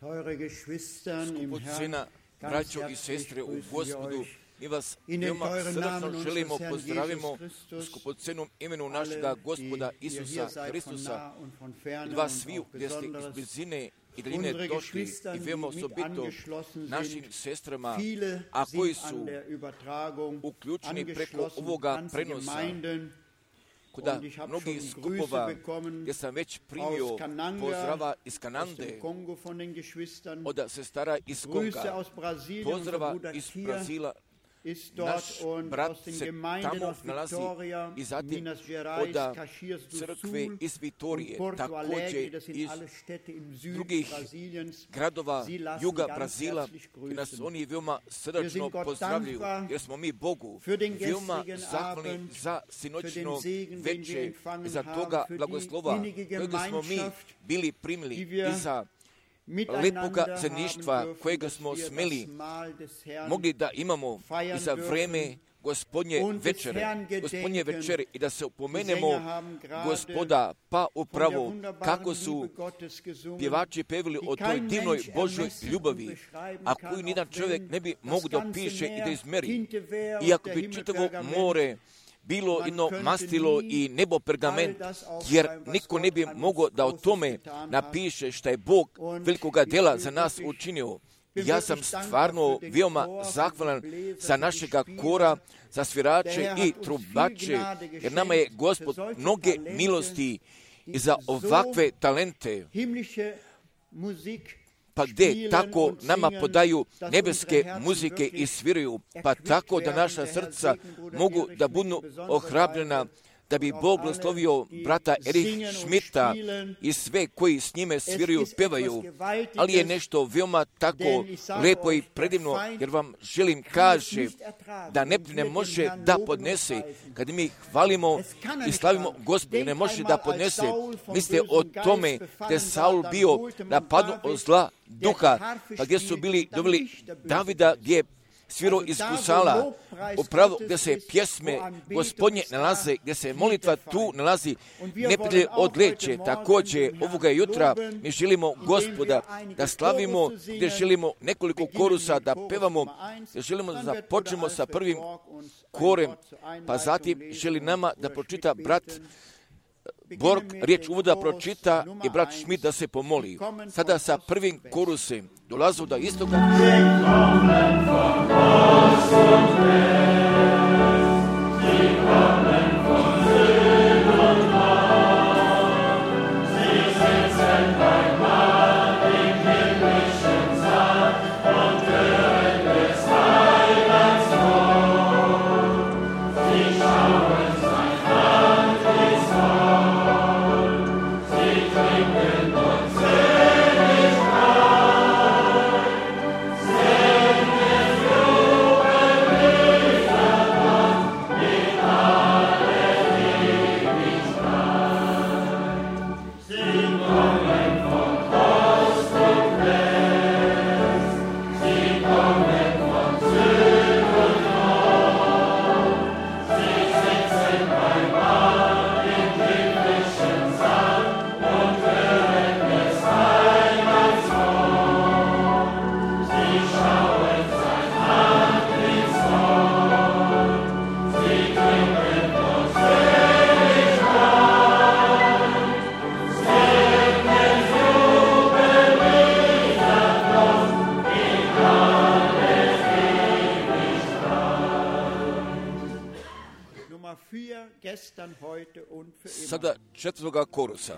Skupocena, braćo i sestre u Gospodu, mi vas veoma srdačno želimo, pozdravimo u skupocenom imenu našega Gospoda Isusa Hristusa. I vas svi gdje ste iz blizine i daljine došli i veoma osobito našim sestrama, a koji su uključeni preko ovoga prenosa, kuda mnogih skupova gdje sam već primio pozdrava iz Kanade, od sestara iz Konga, pozdrava iz Brazila, naš brat se tamo nalazi i zatim od crkve iz Vitorije, također iz drugih gradova juga Brazila, i nas oni veoma srdačno pozdravljaju, jer smo mi Bogu veoma zahvalni za sinoćno veče i za toga blagoslova kojega smo mi bili primili i za lepoga zajedništva kojega smo smeli mogli da imamo i za vreme Gospodnje večere i da se upomenemo Gospoda, pa upravo kako su pjevači pevili o toj divnoj Božoj ljubavi, a koju nijedan čovjek ne bi mogao da opiše i da izmeri. Iako bi čitavo more bilo jedno mastilo i nebo pergament, jer niko ne bi mogao da o tome napiše šta je Bog velikoga dela za nas učinio. Ja sam stvarno veoma zahvalan za našega kora, za svirače i trubače, jer nama je Gospod mnoge milosti i za ovakve talente, pa gdje tako nama podaju nebeske muzike i sviraju, pa tako da naša srca mogu da budu ohrabljena, da bi Bog blagoslovio brata Erich Schmidta i sve koji s njime sviraju, pevaju, ali je nešto veoma tako lepo i predivno, jer vam želim kaže da ne može da podnese, kad mi hvalimo i slavimo Gospoda, ne može da podnese. Mislite o tome da je Saul bio napadnut od zla duha, pa gdje su bili doveli Davida, gdje je svirao iz gusala, upravo gdje se pjesme Gospodnje nalaze, gdje se molitva tu nalazi, neprijatelj odleće. Također ovoga jutra mi želimo Gospoda da slavimo, gdje želimo nekoliko korusa da pevamo, gdje želimo da započnemo sa prvim korem, pa zatim želi nama da pročita brat Borg riječ uvoda pročita i brat Schmidt da se pomoli. Sada sa prvim korusem dolazu do istoga. Sada četvrtoga korusa.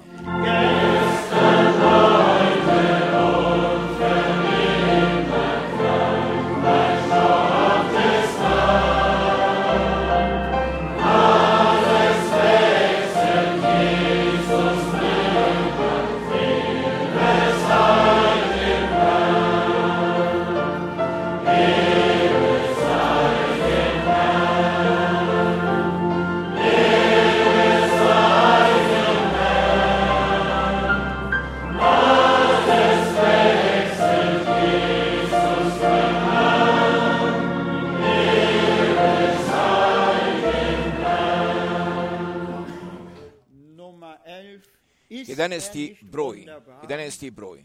Jedanesti broj.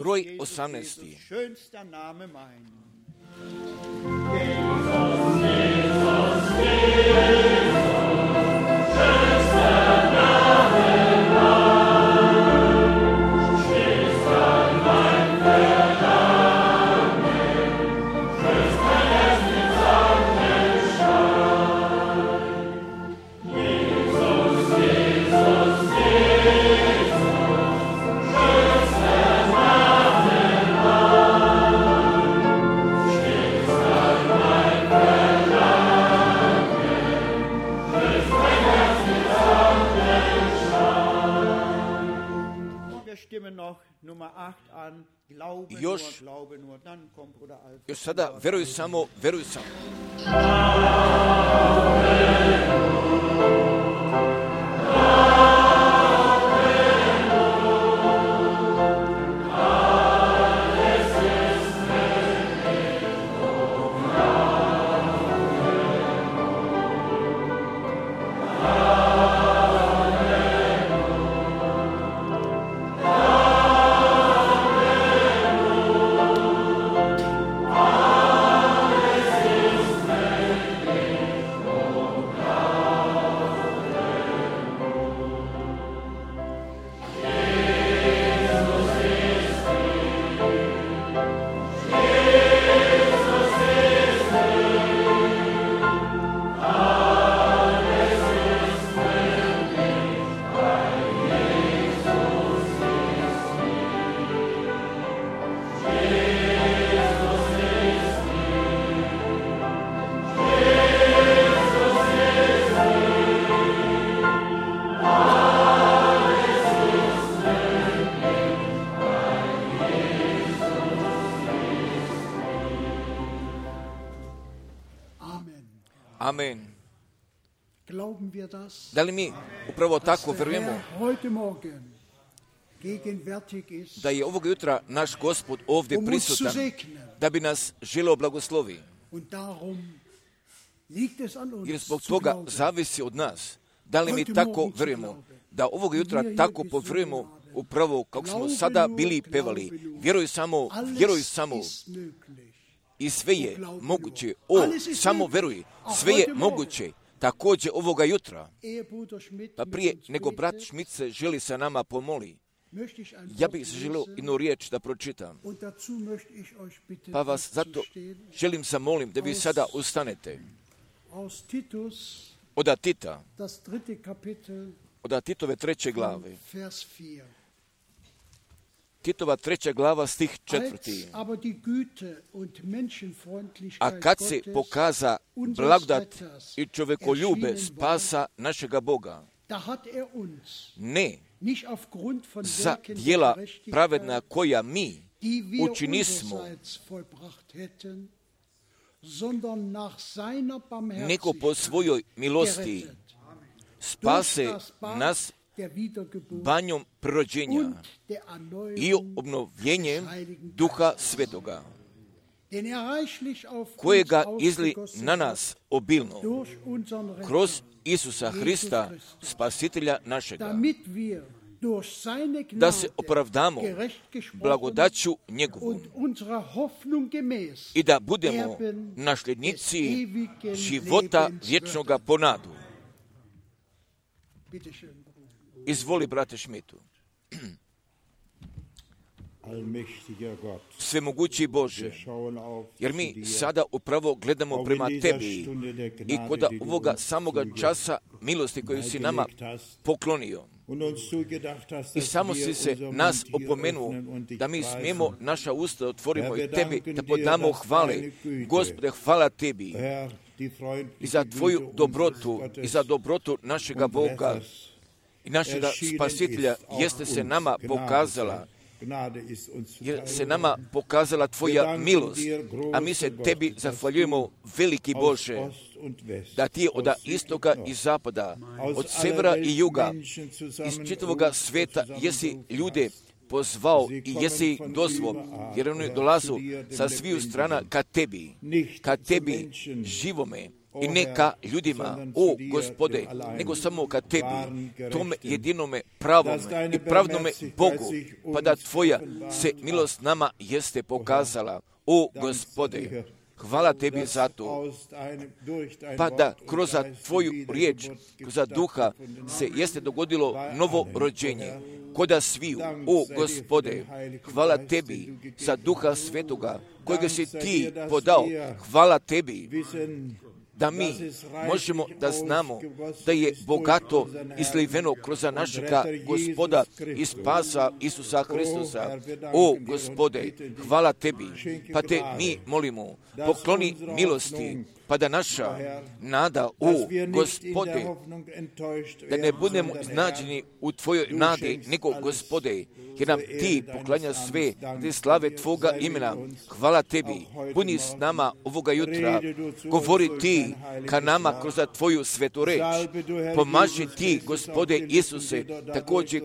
Broj 18. Još sada veruj samo, veruj samo. Amen. Da li mi upravo tako verujemo da je ovog jutra naš Gospod ovdje prisutan, da bi nas želeo blagoslovi? Jer zbog toga zavisi od nas. Da li mi tako verujemo, da ovog jutra tako poverujemo upravo kako smo sada bili pevali. Vjeruj samo, vjeruj samo. I sve je moguće. Samo veruj. Sve je moguće. Također ovoga jutra. Pa prije nego brat Schmidt se želi sa nama pomoli, ja bih se želio jednu riječ da pročitam. Pa vas zato želim zamolim da vi sada ustanete. Od Tita, od Titove 3. glave. Titova 3. glava, stih 4. A kad se pokaza blagodat i čovjekoljube spasa našega Boga, ne za djela pravedna koja mi učinismo, nego po svojoj milosti spase nas banjom prirođenja i obnovljenjem Duha Svetoga, kojega izli na nas obilno kroz Isusa Hrista, Spasitelja našega, da se opravdamo blagodaću njegovom i da budemo nasljednici života vječnoga po nadu. Izvoli, brate Schmidtu. svemogući Bože, jer mi sada upravo gledamo prema Tebi i kod ovoga samoga časa milosti koju si nama poklonio. I samo si se nas opomenuo da mi smijemo naša usta otvorimo i Tebi da podamo hvale. Gospode, hvala Tebi i za Tvoju dobrotu i za dobrotu našega Boga i našega Spasitelja jeste se nama pokazala, jer se nama pokazala Tvoja milost, a mi se Tebi zahvaljujemo, veliki Bože, da Ti od istoka i zapada, od severa i juga, iz čitavoga sveta jesi ljude pozvao i jesi ih dozvao, jer oni dolazu sa sviju strana ka Tebi živome, i ne ka ljudima, o Gospode, nego samo ka Tebi, tome jedinome pravome i pravnome Bogu, pa da Tvoja se milost nama jeste pokazala, o Gospode. Hvala Tebi za to, pa da kroz Tvoju riječ, kroz duha se jeste dogodilo novo rođenje, koda sviju, o Gospode, hvala Tebi za Duha Svetoga, kojega si Ti podao, hvala Tebi, da mi možemo da znamo da je bogato izliveno kroz našega Gospoda i Spasa Isusa Hristusa. O Gospode, hvala Tebi, pa Te mi molimo, pokloni milosti, pa da naša nada, o Gospode, da ne budemo iznađeni u Tvojoj nadi, nego Gospode, jer nam Ti poklanja sve te slave Tvoga imena. Hvala Tebi, budi s nama ovoga jutra, govori Ti ka nama kroz Tvoju svetu reč, pomaži Ti, Gospode Isuse, također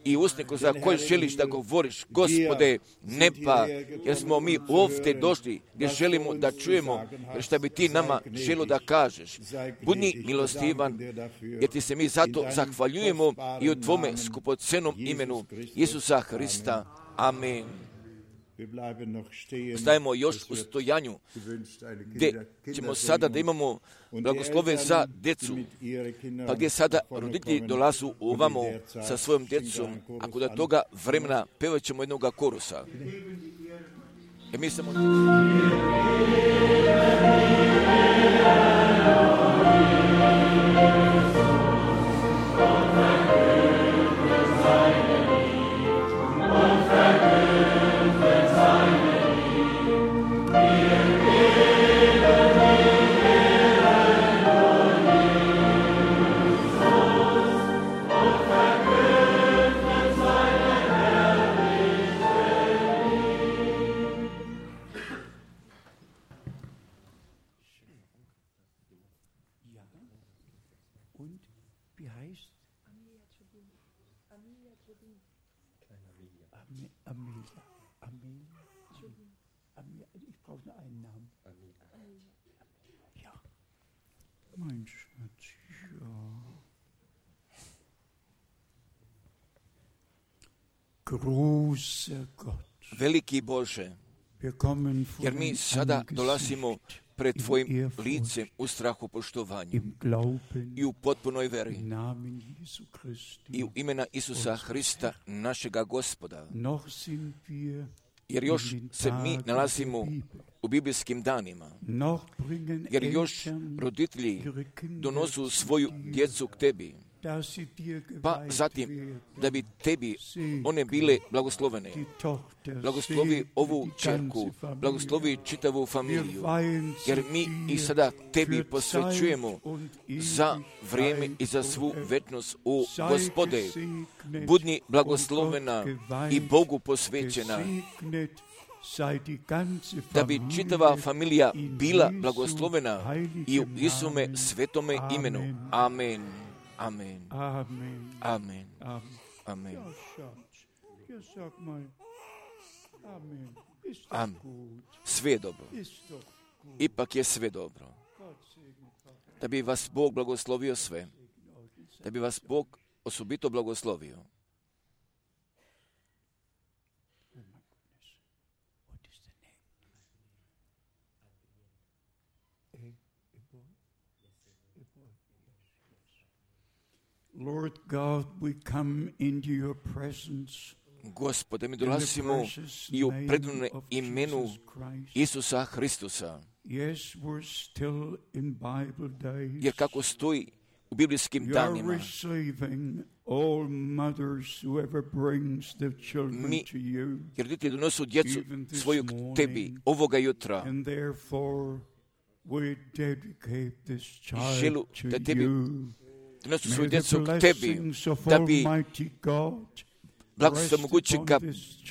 i usne za koje želiš da govoriš, Gospode, ne pa, jer smo mi ovdje došli gdje želimo da čujemo što bi Ti nama želo da kažeš. Budi milostivan, jer Ti se mi zato zahvaljujemo i u Tvome skupocenom imenu Isusa Hrista. Amen. Stajemo još u stojanju, gdje ćemo sada da imamo blagoslove za djecu, pa gdje sada roditelji dolazu ovamo sa svojom djecom, a kod toga vremena pevat ćemo jednoga korusa. Mi samo... Veliki Bože, jer mi sada dolazimo pred Tvojim licem u strahu poštovanju i u potpunoj veri i u imena Isusa Hrista, našega Gospoda, jer još se mi nalazimo u biblijskim danima, jer još roditelji donosu svoju djecu k Tebi, pa zatim da bi Tebi one bile blagoslovene. Blagoslovi ovu čerku, blagoslovi čitavu familiju, jer mi ih sada Tebi posvećujemo za vrijeme i za svu večnost. O Gospode, budi blagoslovena i Bogu posvećena, da bi čitava familija bila blagoslovena i u Isume svetome imenu. Amen. Amen. Amen. Amen. Amen. Sve je dobro. Ipak je sve dobro. Da bi vas Bog blagoslovio sve. Da bi vas Bog osobito blagoslovio. Lord God, we come into your presence. Gospode, mi dolazimo i u predivnom imenu Isusa Hristusa. Jer kako stoji u biblijskim danima, jer roditelji donosu djecu svoju k tebi ovoga jutra. Želu da tebi donosu svoju djecu k tebi, da bi blagoslov mogućega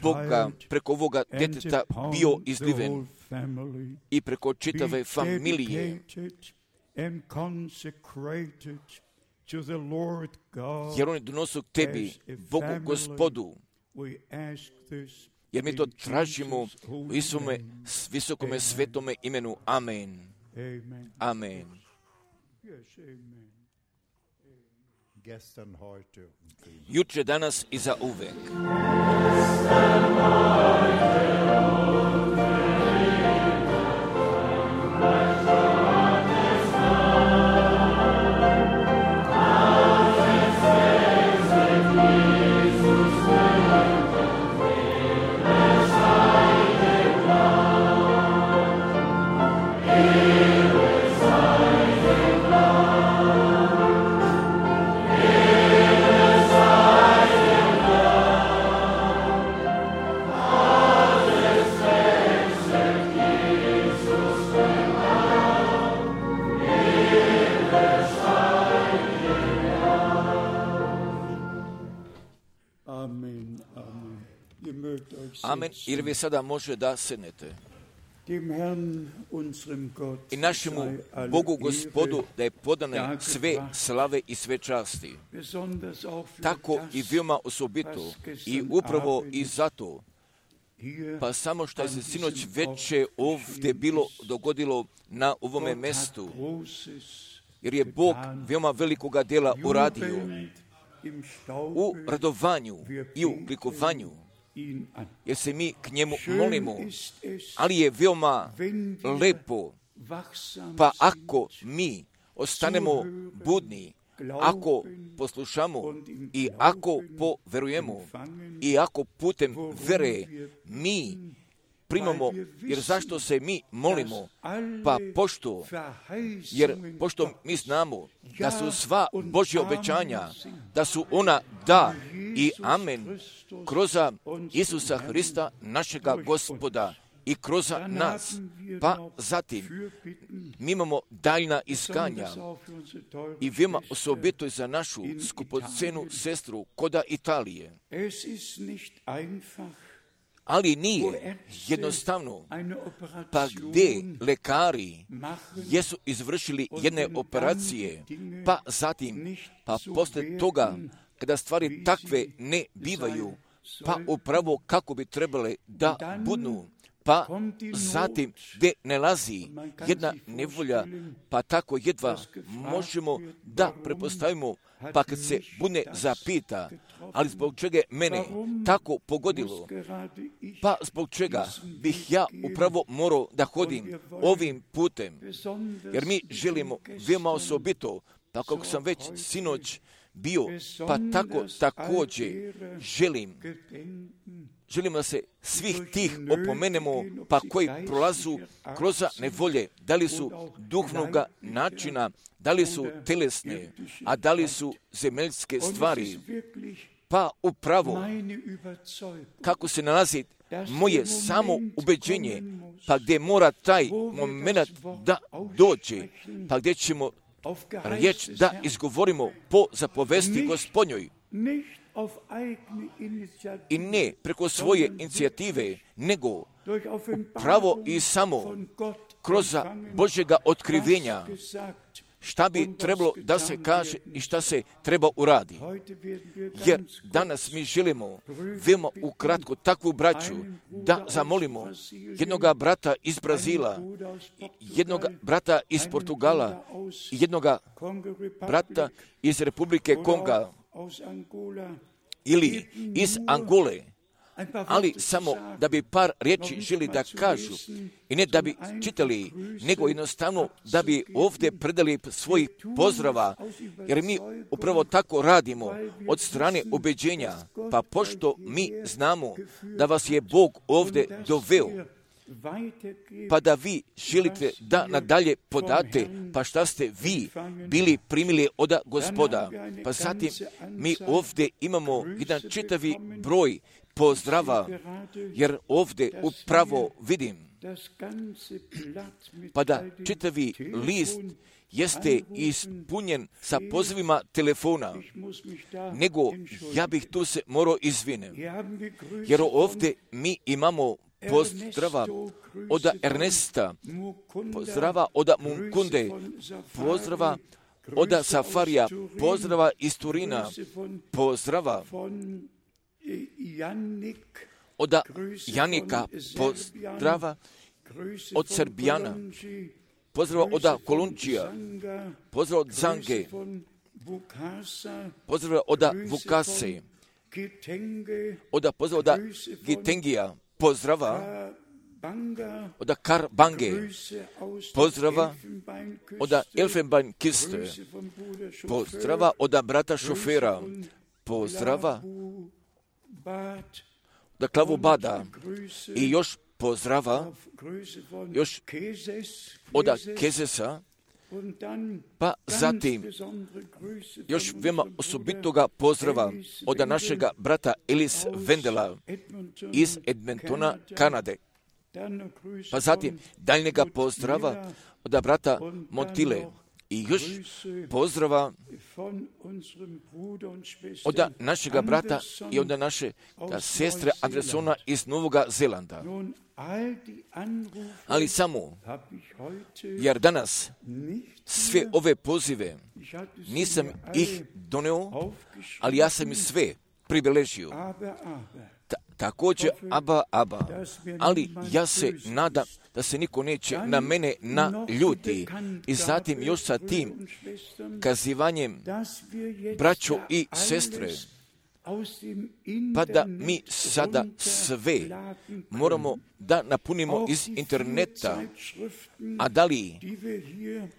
Boga preko ovoga djeteta bio izliven i preko čitave familije. Jer oni donosu k tebi, Bogu Gospodu. Jer mi to tražimo u Isome visokome svetome imenu. Amen. Amen. Juče, danas i za uvek. Amen. Ili vi sada može da sednete. I našemu Bogu Gospodu da je podane sve slave i sve časti. Tako i veoma osobito i upravo i zato, pa samo što je se sinoć veče ovdje bilo dogodilo na ovome mestu, jer je Bog veoma velikoga dela uradio u radovanju i u likovanju, jer se mi k njemu molimo, ali je veoma lepo, pa ako mi ostanemo budni, ako poslušamo i ako poverujemo i ako putem vere mi primamo, jer zašto se mi molimo? Pa pošto mi znamo da su sva Božja obećanja, da su ona da i amen kroz Isusa Hrista, našega Gospoda, i kroz nas. Pa zatim mi imamo daljna iskanja i veoma osobito za našu skupocenu sestru koda Italije. Ali nije jednostavno, pa gdje lekari jesu izvršili jedne operacije, pa zatim, pa poslije toga, kada stvari takve ne bivaju, pa upravo kako bi trebale da budu, pa zatim gdje nalazi jedna nevolja, pa tako jedva možemo da prepostavimo, pa kad se bude zapita, ali zbog čega je mene tako pogodilo, pa zbog čega bih ja upravo morao da hodim ovim putem, jer mi želimo veoma osobito, pa kako sam već sinoć bio, pa tako također želimo da se svih tih opomenemo, pa koji prolazu kroz nevolje, da li su duhovnoga načina, da li su telesne, a da li su zemeljske stvari, pa upravo kako se nalazi moje samo ubeđenje, pa gdje mora taj moment da dođe, pa gdje ćemo riječ da izgovorimo po zapovesti Gospodnjoj. I ne preko svoje inicijative, nego pravo i samo kroz Božjega otkrivenja šta bi trebalo da se kaže i šta se treba uradi. Jer danas mi želimo veoma ukratko takvu braću da zamolimo jednoga brata iz Brazila, jednoga brata iz Portugala i jednoga brata iz Republike Konga ili iz Angole, ali samo da bi par riječi želi da kažu i ne da bi čitali, nego jednostavno da bi ovdje predali svojih pozdrava, jer mi upravo tako radimo od strane ubeđenja, pa pošto mi znamo da vas je Bog ovdje doveo, pa da vi želite da nadalje podate, pa šta ste vi bili primili od Gospoda. Pa zatim mi ovdje imamo jedan čitavi broj pozdrava, jer ovdje upravo vidim, pa da čitavi list jeste ispunjen sa pozivima telefona, nego ja bih tu se morao izviniti, jer ovdje mi imamo pozdrava od Ernesta, pozdrava od Munkunde, pozdrava od Safarija, pozdrava iz Turina, pozdrava od Janika, pozdrava od Srbijana, pozdrava od Kolunčija, pozdrava od Zange, pozdrava od Vukase, pozdrava od Gitengija, pozdrava od Karbange, pozdrava od Elfenbeinkiste, pozdrava od brata šofera, pozdrava od Klavobada i još pozdrava još od Kezesa, pa zatim još veoma osobitoga pozdrava od našega brata Elis Vendela iz Edmontona, Kanade. Pa zatim daljnjega pozdrava od brata Montile i još pozdrava od našega brata i od naše sestre Andersona iz Novog Zelanda. Ali samo, jer danas sve ove pozive nisam ih doneo, ali ja sam ih sve pribeležio. Također, Aba, ali ja se nadam da se niko neće na mene naljuti. I zatim još sa tim kazivanjem, braćo i sestre, pa da mi sada sve moramo da napunimo iz interneta, a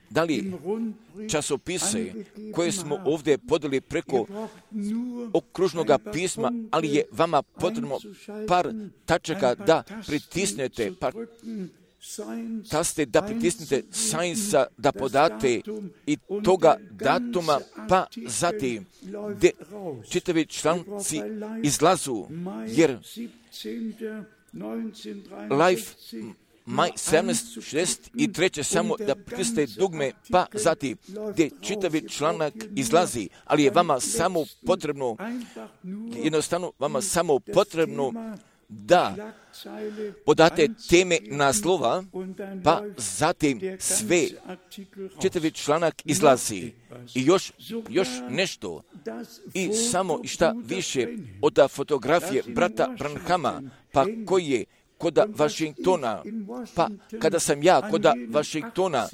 da li časopise koje smo ovdje podali preko okružnog pisma, ali je vama potrebno par tačaka da pritisnete, par taste da pritisnete Science da podate i toga datuma, pa zatim čitavi članci izlazu, jer Life maj 1763 samo da pritisnete dugme, pa zatim gdje čitavi članak izlazi, ali je vama samo potrebno, jednostavno vama samo potrebno da podate teme naslova, pa zatim sve čitavi članak izlazi. I još nešto, i samo šta više od fotografije brata Branhama, pa koji je kod Washingtona, pa kada sam ja kod Washingtona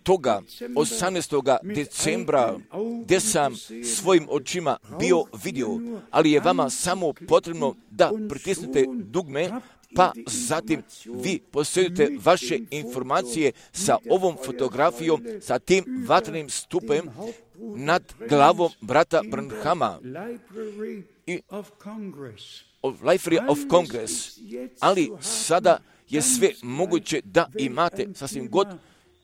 toga 18. decembra, gdje sam svojim očima bio vidio, ali je vama samo potrebno da pritisnete dugme, pa zatim vi posjedujete vaše informacije sa ovom fotografijom, sa tim vatrenim stupem nad glavom brata Branhama i Library of Congress, ali sada je sve moguće da imate sasvim god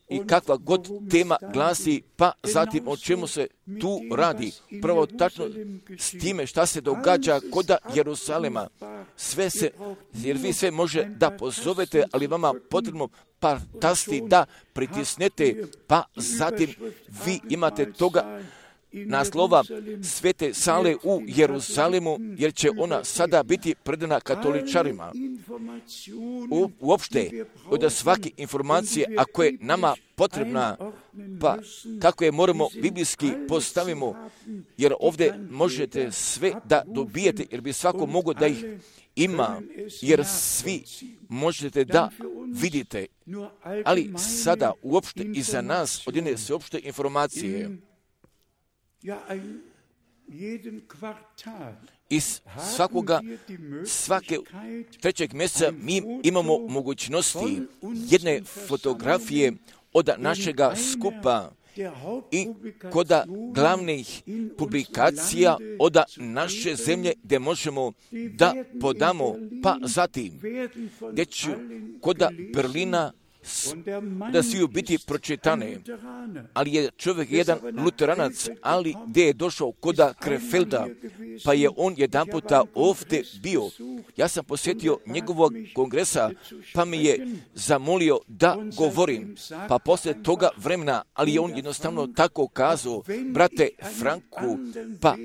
i kakva god tema glasi, pa zatim o čemu se tu radi. Prvo tačno s time šta se događa kod Jerusalema. Sve se, jer vi sve može da pozovete, ali vama potrebno par tasti da pritisnete, pa zatim vi imate toga naslova Svete sale u Jeruzalemu, jer će ona sada biti predana katoličarima. Uopšte, od svake informacije, ako je nama potrebna, pa kako je moramo biblijski postavimo, jer ovdje možete sve da dobijete, jer bi svako mogao da ih ima, jer svi možete da vidite, ali sada uopšte i za nas od jedne sveopšte informacije. Iz svake trećeg mjeseca mi imamo mogućnosti jedne fotografije od našega skupa i kod glavnih publikacija od naše zemlje gdje možemo da podamo, pa zatim gdje će kod Berlina da svi biti pročitane, ali je čovjek jedan luteranac, ali gdje je došao kod Krefelda, pa je on jedan puta ovdje bio. Ja sam posjetio njegovog kongresa, pa mi je zamolio da govorim. Pa poslije toga vremena, ali je on jednostavno tako kazao, brate Franku, pa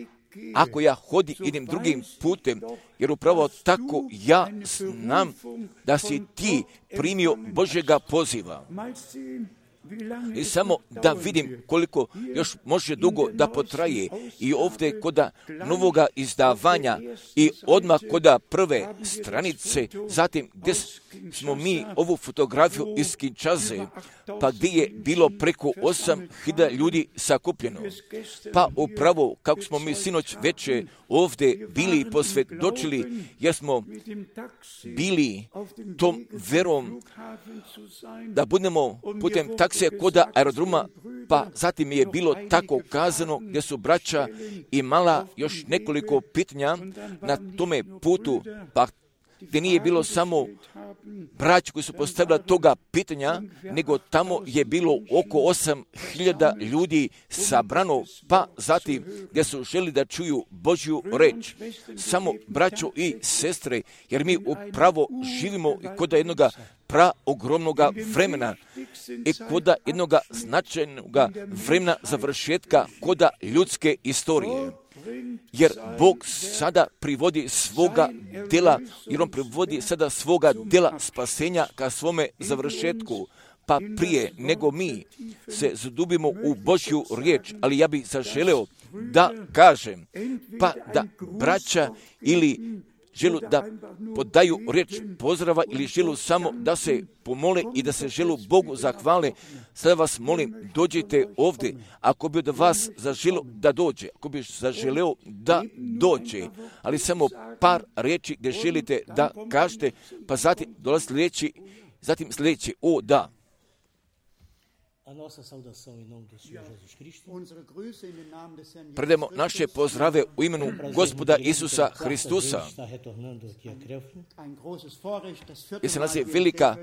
ako ja idem drugim putem, jer upravo tako ja znam da si ti primio Božjega poziva. I samo da vidim koliko još može dugo da potraje i ovdje kod novoga izdavanja i odmah kod prve stranice, zatim gdje smo mi ovu fotografiju iz Kinshase, pa gdje je bilo preko 8.000 ljudi sakupljeno. Pa upravo kako smo mi sinoć večer ovdje bili posvjedočili, jer smo bili tom verom da budemo putem taksije kod aerodroma, pa zatim je bilo tako kazano gdje su braća imala još nekoliko pitanja na tome putu, pa gdje nije bilo samo braća koji su postavila toga pitanja, nego tamo je bilo oko 8.000 ljudi sabrano, pa zatim gdje su želi da čuju Božju reč. Samo braćo i sestre, jer mi upravo živimo kod jednoga ogromnoga vremena i kod jednoga značajnog vremena završetka kod ljudske istorije. Jer Bog sada privodi svoga dela, jer on privodi sada svoga dela spasenja ka svome završetku. Pa prije nego mi se zadubimo u Božju riječ, ali ja bih zaželeo da kažem, pa da braća ili želu da podaju riječ pozdrava ili želu samo da se pomole i da se želu Bogu zahvale. Sada vas molim, dođite ovdje. Ako bi od vas zaželeo da dođe, ako bi zaželeo da dođe, ali samo par riječi gdje želite da kažete, pa zatim dolazi sljedeći, o da. Predajemo naše pozdrave u imenu Gospoda Isusa Hristusa. I se nas je velika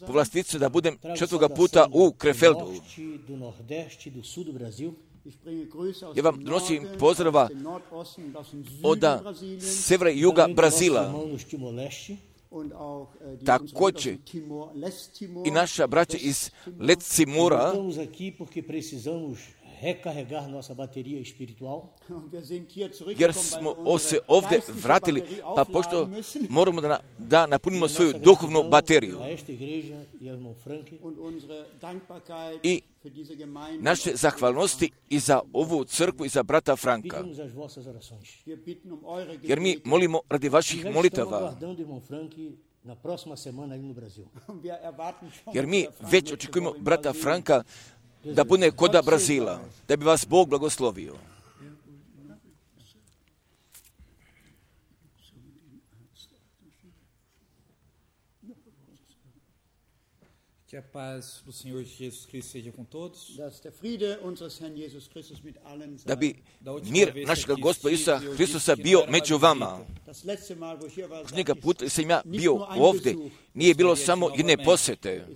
povlastica da budem 4. puta u Krefeldu. Ja vam donosim pozdrava od severa i juga Brazila. Također i naša braća iz Leste Timora, jer smo se ovdje vratili, pa pošto moramo da napunimo svoju duhovnu bateriju. I naše zahvalnosti i za ovu crkvu i za brata Franka. Jer mi molimo radi vaših molitava. Jer mi već očekujemo brata Franka da bude kod Brazila, da bi vas Bog blagoslovio. Que a paz do Senhor Jesus Cristo seja com todos. Da bi mir našega Gospoda Isusa Hristusa bio među vama. Posljednjega puta sam ja bio ovdje, nije bilo samo jedne posjete,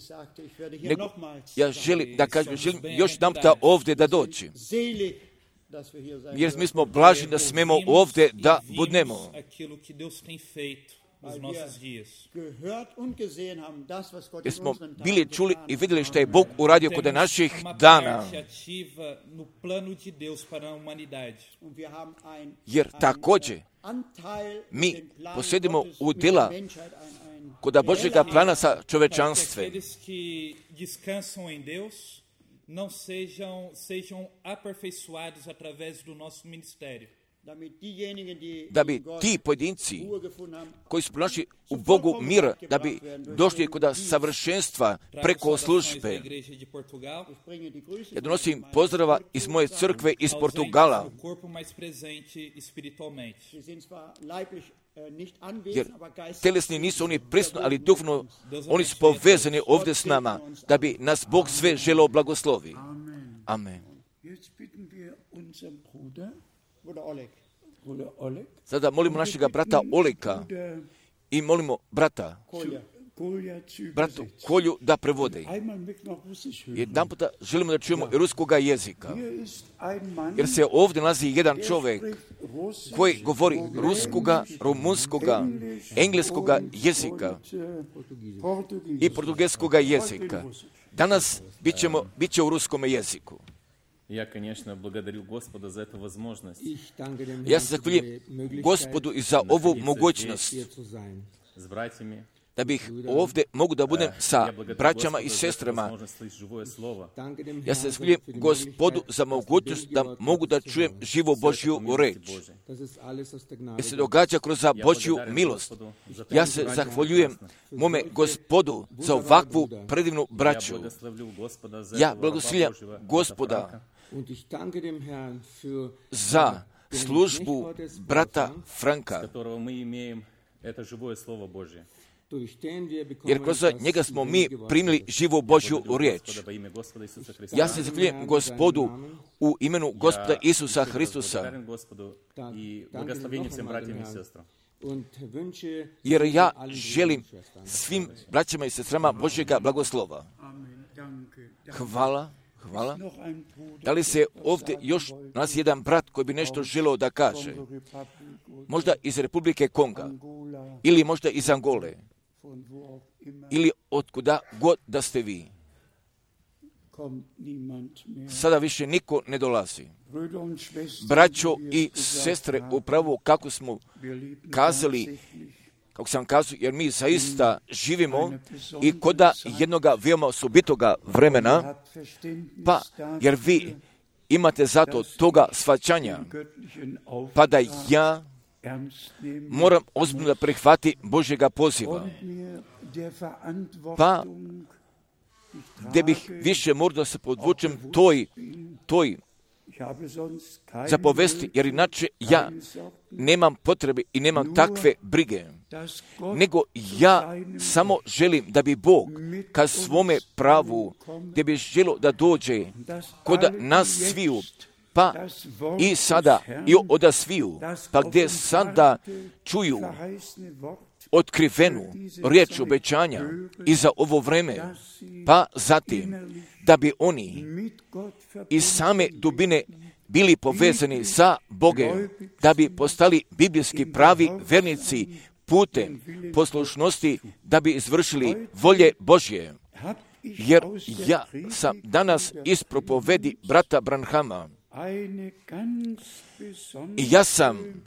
nego ja želim da kažem, želim još jedan puta ovdje da doći. Jer mi smo blaženi da smemo ovdje da budemo. Jer smo bili čuli i vidjeli što je Bog uradio kod naših dana. Jer također mi posjedimo udjela kod Božjega plana sa čovečanstvom. Não sejam aperfeiçoados através do nosso ministério. da bi ti pojedinci koji su pronašli u Bogu mir, da bi došli kod savršenstva preko službe. Ja donosim pozdrava iz moje crkve iz Portugala, jer telesni nisu oni prisutni, ali duhovno oni su povezani ovdje s nama, da bi nas Bog sve želeo blagoslovi. Amen. Sada molimo našega brata Oleka i molimo brata Kolju da prevode. Jedan puta želimo da čujemo ruskoga jezika, jer se ovdje nalazi jedan čovjek koji govori ruskoga, rumunskoga, engleskoga jezika i portugelskoga jezika. Danas bit će u ruskom jeziku. Я, конечно, благодарю Господа за эту возможность. Ja se zahvaljujem Gospodu i za ovu mogućnost С братьями. Da bih ovdje mogu da budem sa braćama i sestrama. Ja se zahvaljujem Gospodu za mogućnost da mogu da čujem živu Božju reč. Jer se događa kroz Božju milost. Ja se zahvaljujem mome Gospodu za ovakvu predivnu braću. Ja blagoslovljam Gospoda za službu brata Franka, jer kroz njega smo mi primili živu Božju riječ. Ja se zahvaljujem Gospodu u imenu Gospoda Isusa Hristusa, jer ja želim svim braćama i sestrama Božjega blagoslova. Hvala. Da li se ovdje još nas jedan brat koji bi nešto želeo da kaže? Možda iz Republike Konga, ili možda iz Angole, ili otkuda god da ste vi. Sada više niko ne dolazi. Braćo i sestre, upravo kako smo kazali, kako sam kazao, jer mi zaista živimo i koda jednoga veoma osobitoga vremena, pa jer vi imate zato toga shvaćanja, pa da ja moram ozbiljno da prihvati Božjega poziva. Pa gdje bih više morao da se podvučem toj zapovesti, jer inače ja nemam potrebe i nemam takve brige, nego ja samo želim da bi Bog ka svome pravu, gdje bi želio da dođe kod nas sviju, pa i sada i od sviju, pa gdje sada čuju otkrivenu riječ obećanja i za ovo vreme, pa zatim da bi oni iz same dubine bili povezani sa Bogom, da bi postali biblijski pravi vernici putem poslušnosti, da bi izvršili volje Božje. Jer ja sam danas iz propovedi brata Branhama i ja sam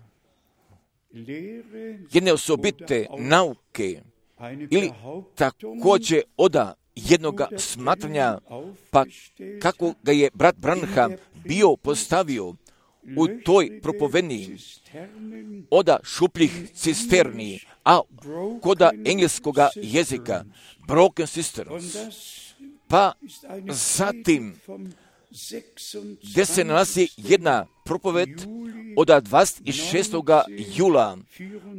jedne osobite nauke ili također od jednoga smatranja, pa kako ga je brat Branham bio postavio u toj propovedni od šupljih cisterni, a koda engleskoga jezika broken cisterns, pa zatim gdje se nalazi jedna propoved od 26. jula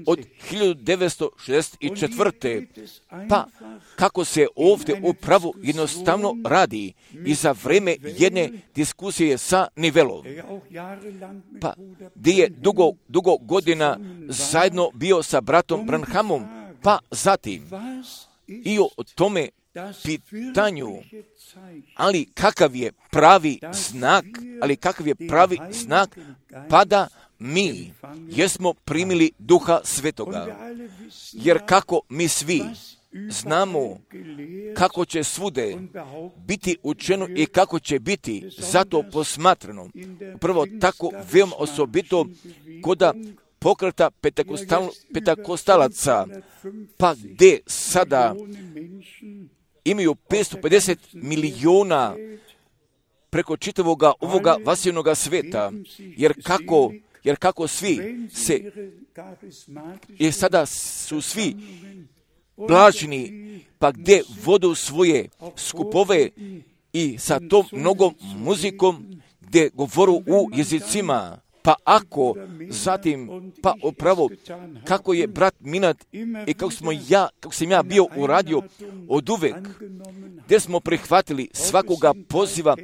od 1964. Pa kako se ovdje upravo jednostavno radi i za vreme jedne diskusije sa Nivelom. Pa gdje je dugo godina zajedno bio sa bratom Branhamom, pa zatim i o tome pitanju, ali kakav je pravi znak, pa da mi jesmo primili Duha Svetoga. Jer kako mi svi znamo kako će svude biti učeno i kako će biti zato posmatrano. Prvo tako veoma osobito koda pokreta petakostalaca, pa gdje sada imaju 550 miliona preko čitavoga ovoga vasivnoga sveta, jer jer kako svi se, jer sada su svi blaženi, pa gdje vodu svoje skupove i sa tom mnogom muzikom, gdje govoru u jezicima, pa ako zatim, pa upravo, kako je brat Minat i kako sam ja bio uradio od uvek, gdje smo prihvatili svakoga poziva,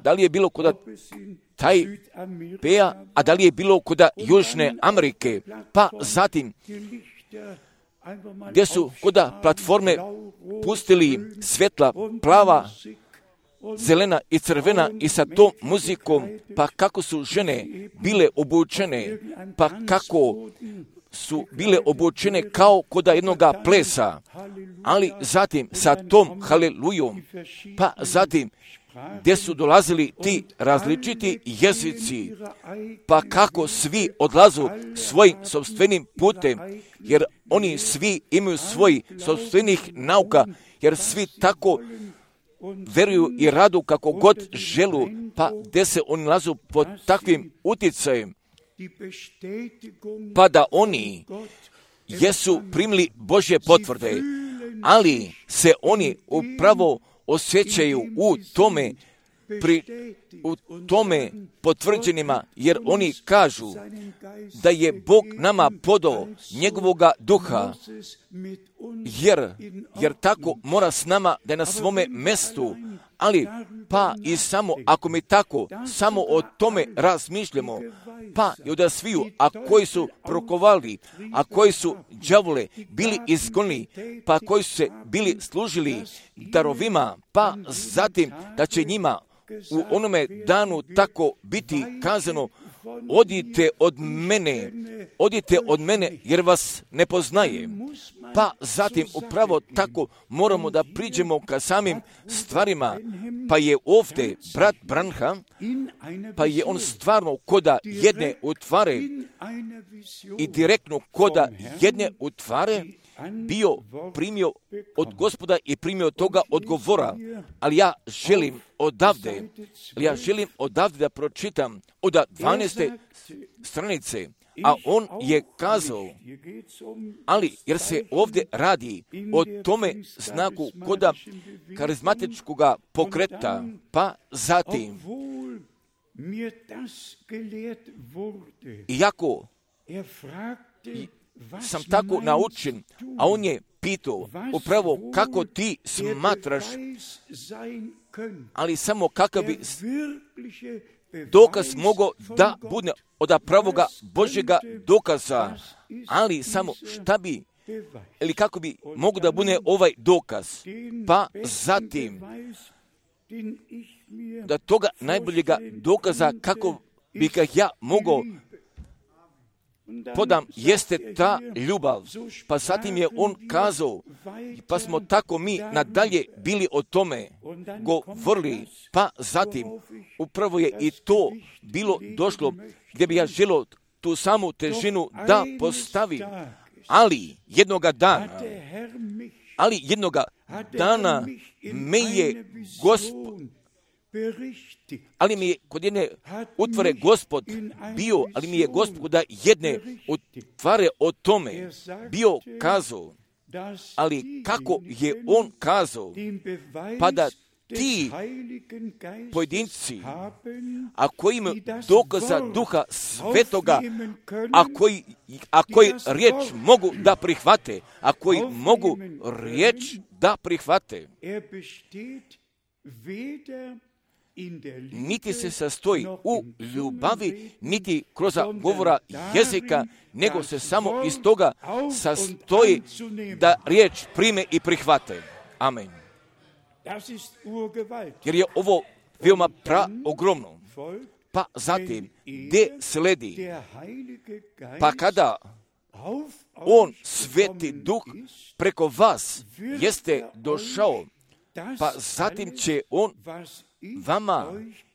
da li je bilo kod Tajpeja, a da li je bilo kod Južne Amerike, pa zatim, gdje su kod platforme pustili svjetla, plava, zelena i crvena i sa tom muzikom, pa kako su žene bile obučene, pa kako su bile obučene kao kod jednoga plesa, ali zatim sa tom halelujom, pa zatim gdje su dolazili ti različiti jezici, pa kako svi odlazu svojim sopstvenim putem, jer oni svi imaju svoj sopstvenih nauka, jer svi tako veruju i radu kako god želu, pa gdje se oni nalazu pod takvim utjecajem, pa da oni jesu primili Božje potvrde, ali se oni upravo osjećaju u tome potvrđenima, jer oni kažu da je Bog nama podao njegovoga duha, jer tako mora s nama da je na svome mestu, ali pa i samo ako mi tako samo o tome razmišljamo, pa i od sviju, a koji su prokovali, a koji su đavole bili izgonili, pa koji su se bili služili darovima, pa zatim da će njima u onome danu tako biti kazano: odite od mene, jer vas ne poznajem. Pa zatim upravo tako moramo da priđemo ka samim stvarima, pa je ovdje brat Branham, pa je on stvarno koda jedne utvare i direktno koda jedne utvare bio primio od Gospoda i primio toga odgovora, ali ja želim odavde da pročitam od 12. stranice, a on je kazao, ali jer se ovdje radi o tome znaku koda karizmatičkog pokreta, pa zatim, iako sam tako naučen, a on je pitao upravo kako ti smatraš, ali samo kakav bi dokaz mogao da bude od pravoga Božjega dokaza, ali samo šta bi, ili kako bi mogu da bude ovaj dokaz, pa zatim da toga najboljega dokaza kako bi ga ja mogao podam, jeste ta ljubav. Pa zatim je on kazao, pa smo tako mi nadalje bili o tome govorili, pa zatim upravo je i to bilo došlo gdje bi ja želio tu samu težinu da postavim, ali jednoga dana me je Gospod, ali mi je kod jedne utvare Gospod bio, ali mi je Gospod da jedne utvare o tome bio kazao, ali kako je on kazao, pa da ti pojedinci, a koji imaju dokaza Duha Svetoga, a koji riječ mogu da prihvate, niti se sastoji u ljubavi, niti kroz govora jezika, nego se samo iz toga sastoji da riječ prime i prihvate. Amen. Jer je ovo veoma ogromno. Pa zatim, gdje sledi, pa kada on, Sveti Duh, preko vas jeste došao, pa zatim će on vama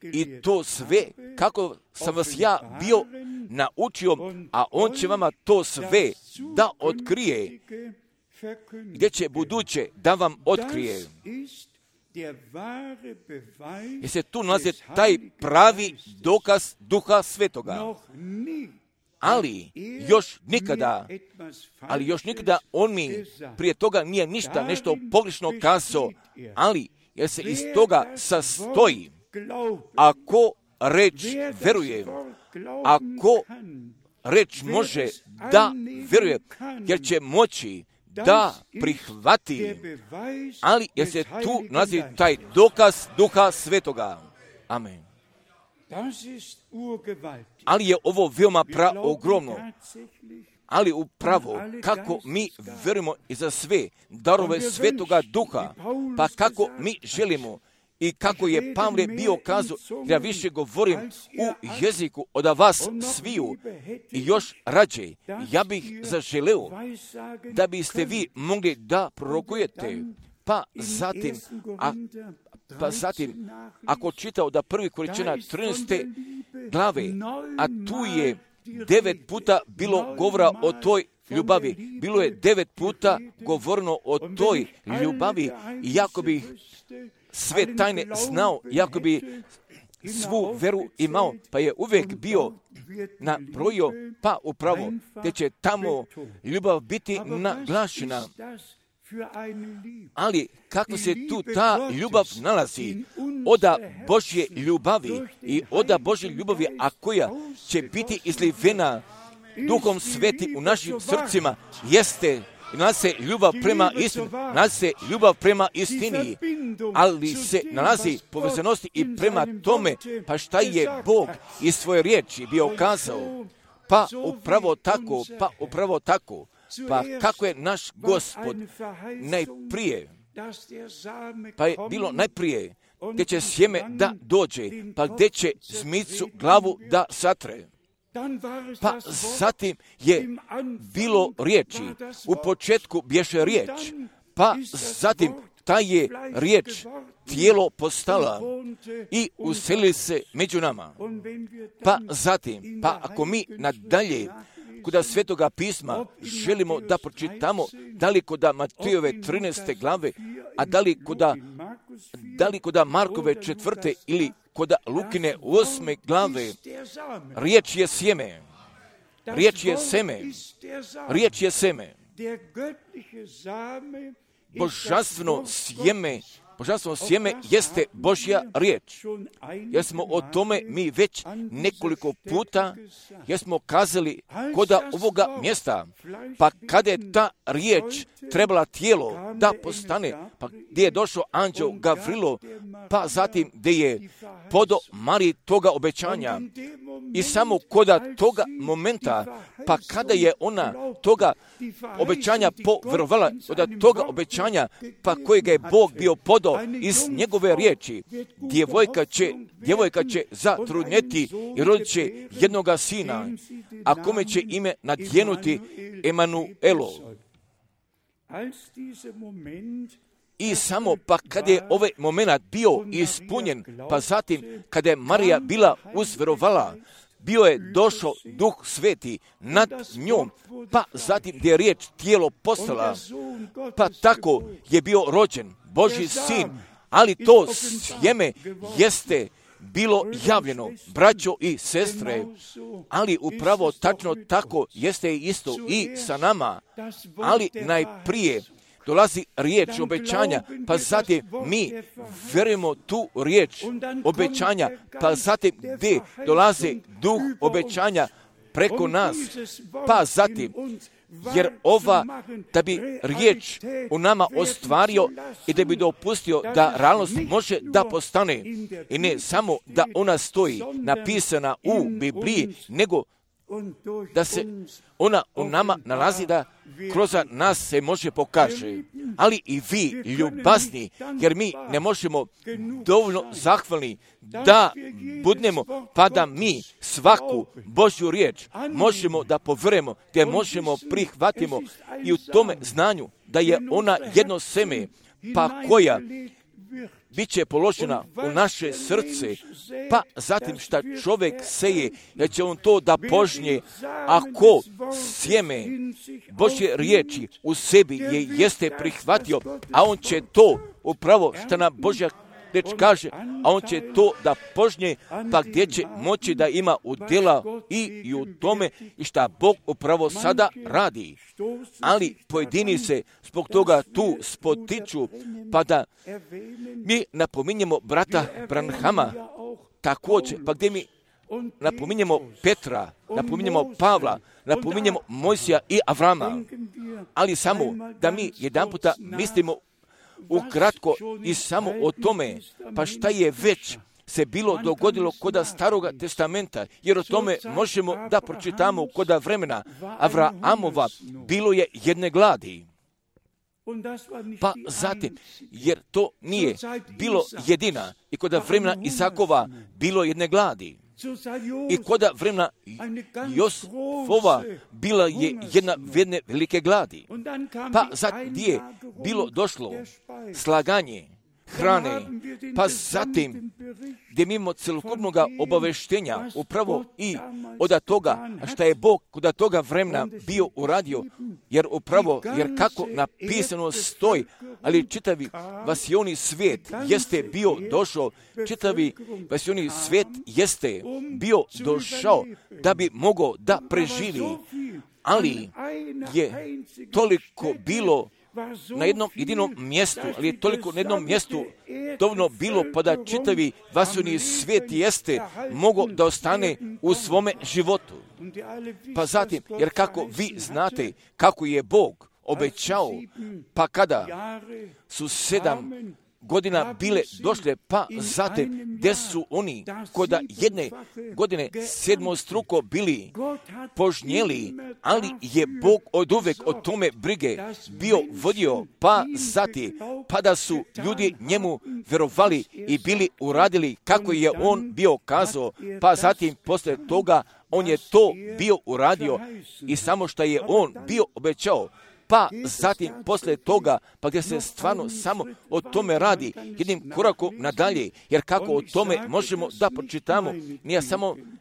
i to sve, kako sam vas ja bio naučio, a on će vama to sve da otkrije, gdje će buduće da vam otkrije. Jer se tu nalazi taj pravi dokaz Duha Svetoga. ali još nikada on mi prije toga nije ništa nešto pogrešno kazao, ali jer se iz toga sastoji. Ako reč veruje, ako reč može da veruje, jer će moći da prihvati, ali jer se tu nalazi taj dokaz Duha Svetoga. Amen. Ali je ovo veoma ogromno. Ali upravo kako mi verujemo i za sve darove Svetoga Duha, pa kako mi želimo i kako je Pavle bio kazao, ja više govorim u jeziku od vas sviju i još rađe, ja bih zaželeo da biste vi mogli da prorokujete, pa zatim, ako čitao da 1. Korinćana 13. glave, a tu je 9 puta bilo govora o toj ljubavi. Bilo je 9 puta govoreno o toj ljubavi i jako bih sve tajne znao, jako bi svu veru imao, pa je uvijek bio nabrojio, pa upravo, te će tamo ljubav biti naglašena. Ali kako se tu ta ljubav nalazi oda Božje ljubavi i oda Božje ljubavi, a koja će biti izlivena Duhom Sveti u našim srcima, jeste nalazi se ljubav prema istini, nalazi se ljubav prema istini, ali se nalazi povezanosti i prema tome, pa šta je Bog iz svoje riječi bio kazao, pa upravo tako, pa kako je naš Gospod najprije, pa je bilo najprije gdje će sjeme da dođe, pa gdje će zmicu glavu da satre. Pa zatim je bilo riječi, u početku bješe riječ, pa zatim ta je riječ tijelo postala i uselili se među nama. Pa zatim, pa ako mi nadalje kod Svetoga pisma želimo da pročitamo, da li kod Matejove 13. glave, a da li kod Markove 4. ili kod Lukine 8. glave, riječ je sjeme. Riječ je seme. Božanstveno sjeme jeste Božja riječ. Jer smo o tome mi već nekoliko puta jesmo kazali kod ovoga mjesta. Pa kada je ta riječ trebala tijelo da postane, pa gdje je došao anđeo Gavrilo, pa zatim gdje je podo Mariji toga obećanja. I samo kod toga momenta, pa kada je ona toga obećanja poverovala, od toga obećanja, pa kojega je Bog bio podao iz njegove riječi, djevojka će zatrudnjeti i rodit će jednoga sina, a kome će ime nadjenuti Emanuelo. I samo pa kada je ovaj moment bio ispunjen, pa zatim kada je Marija bila uzverovala, bio je došao Duh Sveti nad njom, pa zatim gdje je riječ tijelo postala, pa tako je bio rođen Božji sin, ali to sjeme jeste bilo javljeno, braćo i sestre, ali upravo tačno tako jeste isto i sa nama, ali najprije dolazi riječ obećanja, pa zatim mi verujemo tu riječ obećanja, pa zatim gdje dolazi duh obećanja preko nas, pa zatim, jer da bi riječ u nama ostvario i da bi dopustio da realnost može da postane i ne samo da ona stoji napisana u Bibliji, nego da se ona u nama nalazi, da kroz nas se može pokaže. Ali i vi, ljubazni, jer mi ne možemo dovoljno zahvalni da budemo, pa da mi svaku Božju riječ možemo da poverujemo, da možemo prihvatimo i u tome znanju da je ona jedno seme, pa koja bit će položena u naše srce, pa zatim šta čovjek seje, da će on to da požnje, ako sjeme Božje riječi u sebi jeste prihvatio, a on će to upravo što nam Božja reč kaže, a on će to da požnje, pa gdje će moći da ima udjela i u tome i šta Bog upravo sada radi. Ali pojedini se zbog toga tu spotiču, pa da mi napominjemo brata Branhama također, pa gdje mi napominjemo Petra, napominjemo Pavla, napominjemo Mojsija i Avrama, ali samo da mi jedanputa mislimo ukratko i samo o tome, pa šta je već se bilo dogodilo koda Staroga testamenta, jer o tome možemo da pročitamo koda vremena Avraamova bilo je jedne gladi. Pa zatim, jer to nije bilo jedina, i koda vremena Isakova bilo jedne gladi. I koda vremena Josfova bila je jedne velike gladi. Pa zatim gdje je bilo došlo slaganje hrane, pa zatim gdje mimo celokupnog obaveštenja upravo i od toga šta je Bog kod toga vremena bio uradio, jer kako napisano stoji, ali čitavi vasioni svijet jeste bio došao, čitavi vasioni svijet jeste bio došao da bi mogao da preživi, ali je toliko bilo na jednom jedinom mjestu, ali je toliko na jednom mjestu dovoljno bilo pa da čitavi vasioni svijet jeste mogao da ostane u svome životu. Pa zatim, jer kako vi znate kako je Bog obećao, pa kada su 7 godina bile došle, pa zatim gdje su oni koda jedne godine 7 bili požnjeli, ali je Bog od uvek o tome brige bio vodio, pa zatim, pa da su ljudi njemu verovali i bili uradili kako je on bio kazao, pa zatim posle toga on je to bio uradio i samo što je on bio obećao. Pa zatim posle toga, pa gdje se stvarno samo o tome radi, jednim korakom nadalje, jer kako o tome možemo da pročitamo,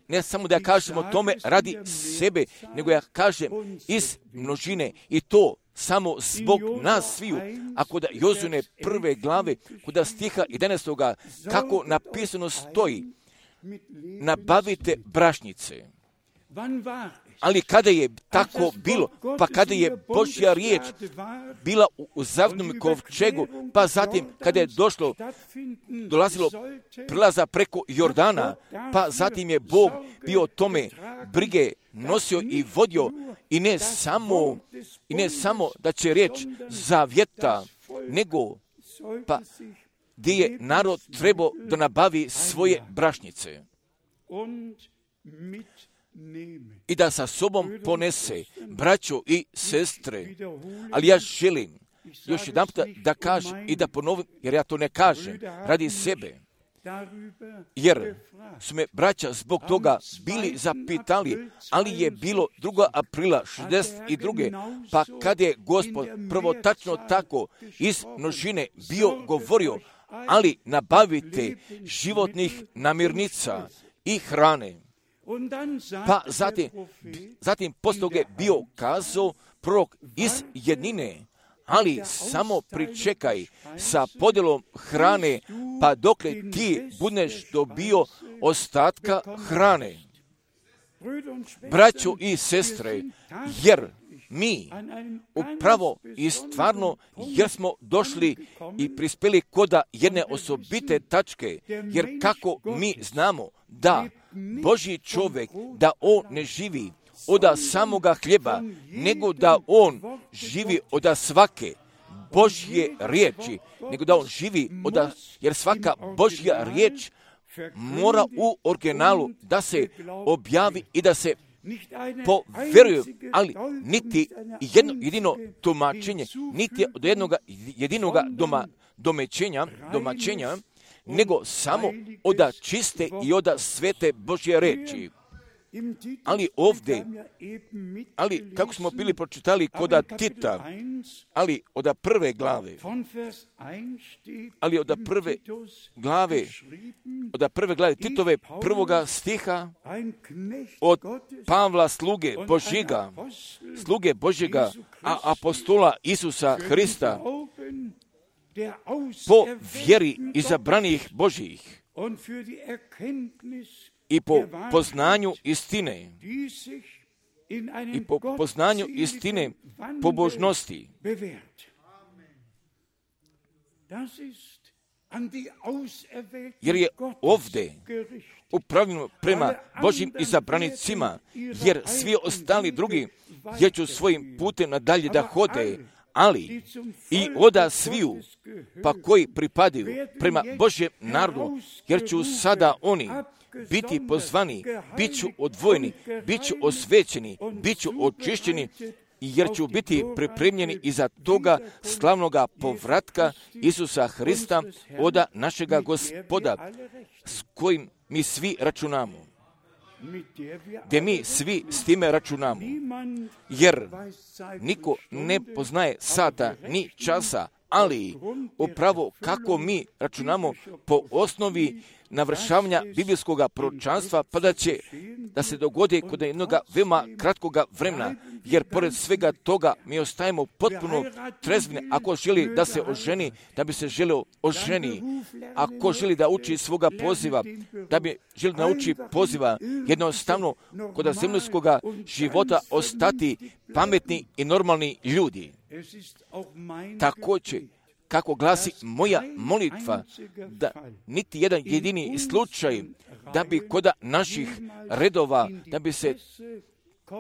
ne samo da kažemo o tome radi sebe, nego ja kažem iz množine i to samo zbog nas sviju. A kod Jozune 1. glave, kod stiha 11. kako napisano stoji, nabavite brašnice. Ali kada je tako bilo, pa kada je Božja riječ bila u zavnom kovčegu, pa zatim kada je dolazilo prilaza preko Jordana, pa zatim je Bog bio tome brige nosio i vodio i ne samo da će riječ zavjeta, nego pa gdje je narod trebao da nabavi svoje brašnice i da sa sobom ponese braćo i sestre. Ali ja želim još jedan puta da kažem i da ponovim, jer ja to ne kažem radi sebe, jer su me braća zbog toga bili zapitali, ali je bilo 2. aprila 62. pa kad je Gospod prvo tačno tako iz množine bio govorio, ali nabavite životnih namirnica i hrane. Pa zatim poslije toga je bio kazao prorok iz jednine, ali samo pričekaj sa podjelom hrane, pa dokle ti budeš dobio ostatka hrane. Braćo i sestre, jer mi upravo i stvarno jer smo došli i prispeli koda jedne osobite tačke, jer kako mi znamo da Božji čovjek, da on ne živi od samoga hljeba, nego da on živi od svake Božje riječi, nego da on živi jer svaka Božja riječ mora u originalu da se objavi i da se povjeruju, ali niti jedno jedino tumačenje, niti od jednog jedinoga domaćenja, nego samo od čiste i od svete Božje reči. Ali ovdje, kako smo bili pročitali kod Tita, ali od 1. glave, od 1. glave Titove 1. stiha, od Pavla sluge Božjega, a apostola Isusa Hrista, po vjeri izabranih Božjih i po poznanju istine i po poznanju istine pobožnosti. Jer je ovdje upravljeno prema Božjim izabranicima, jer svi ostali drugi jer ću svojim putem nadalje da hode, ali i oda sviju, pa koji pripadaju prema Božjem narodu, jer ću sada oni biti pozvani, bit ću odvojeni, bit ću osvećeni, bit ću očišćeni, jer ću biti pripremljeni iza toga slavnoga povratka Isusa Hrista, oda našega Gospoda, s kojim mi svi računamo. Gdje mi svi s time računamo. Jer niko ne poznaje sata ni časa, ali upravo kako mi računamo po osnovi navršavanja biblijskog proročanstva, pa da će da se dogodi kod jednog veoma kratkoga vremena, jer pored svega toga mi ostajemo potpuno trezveni. Ako želi da se oženi, da bi se želio oženi. Ako želi da uči svoga poziva, da bi želi da nauči poziva, jednostavno kod zemaljskog života ostati pametni i normalni ljudi. Također, kako glasi moja molitva, da niti jedan jedini slučaj, da bi kod naših redova,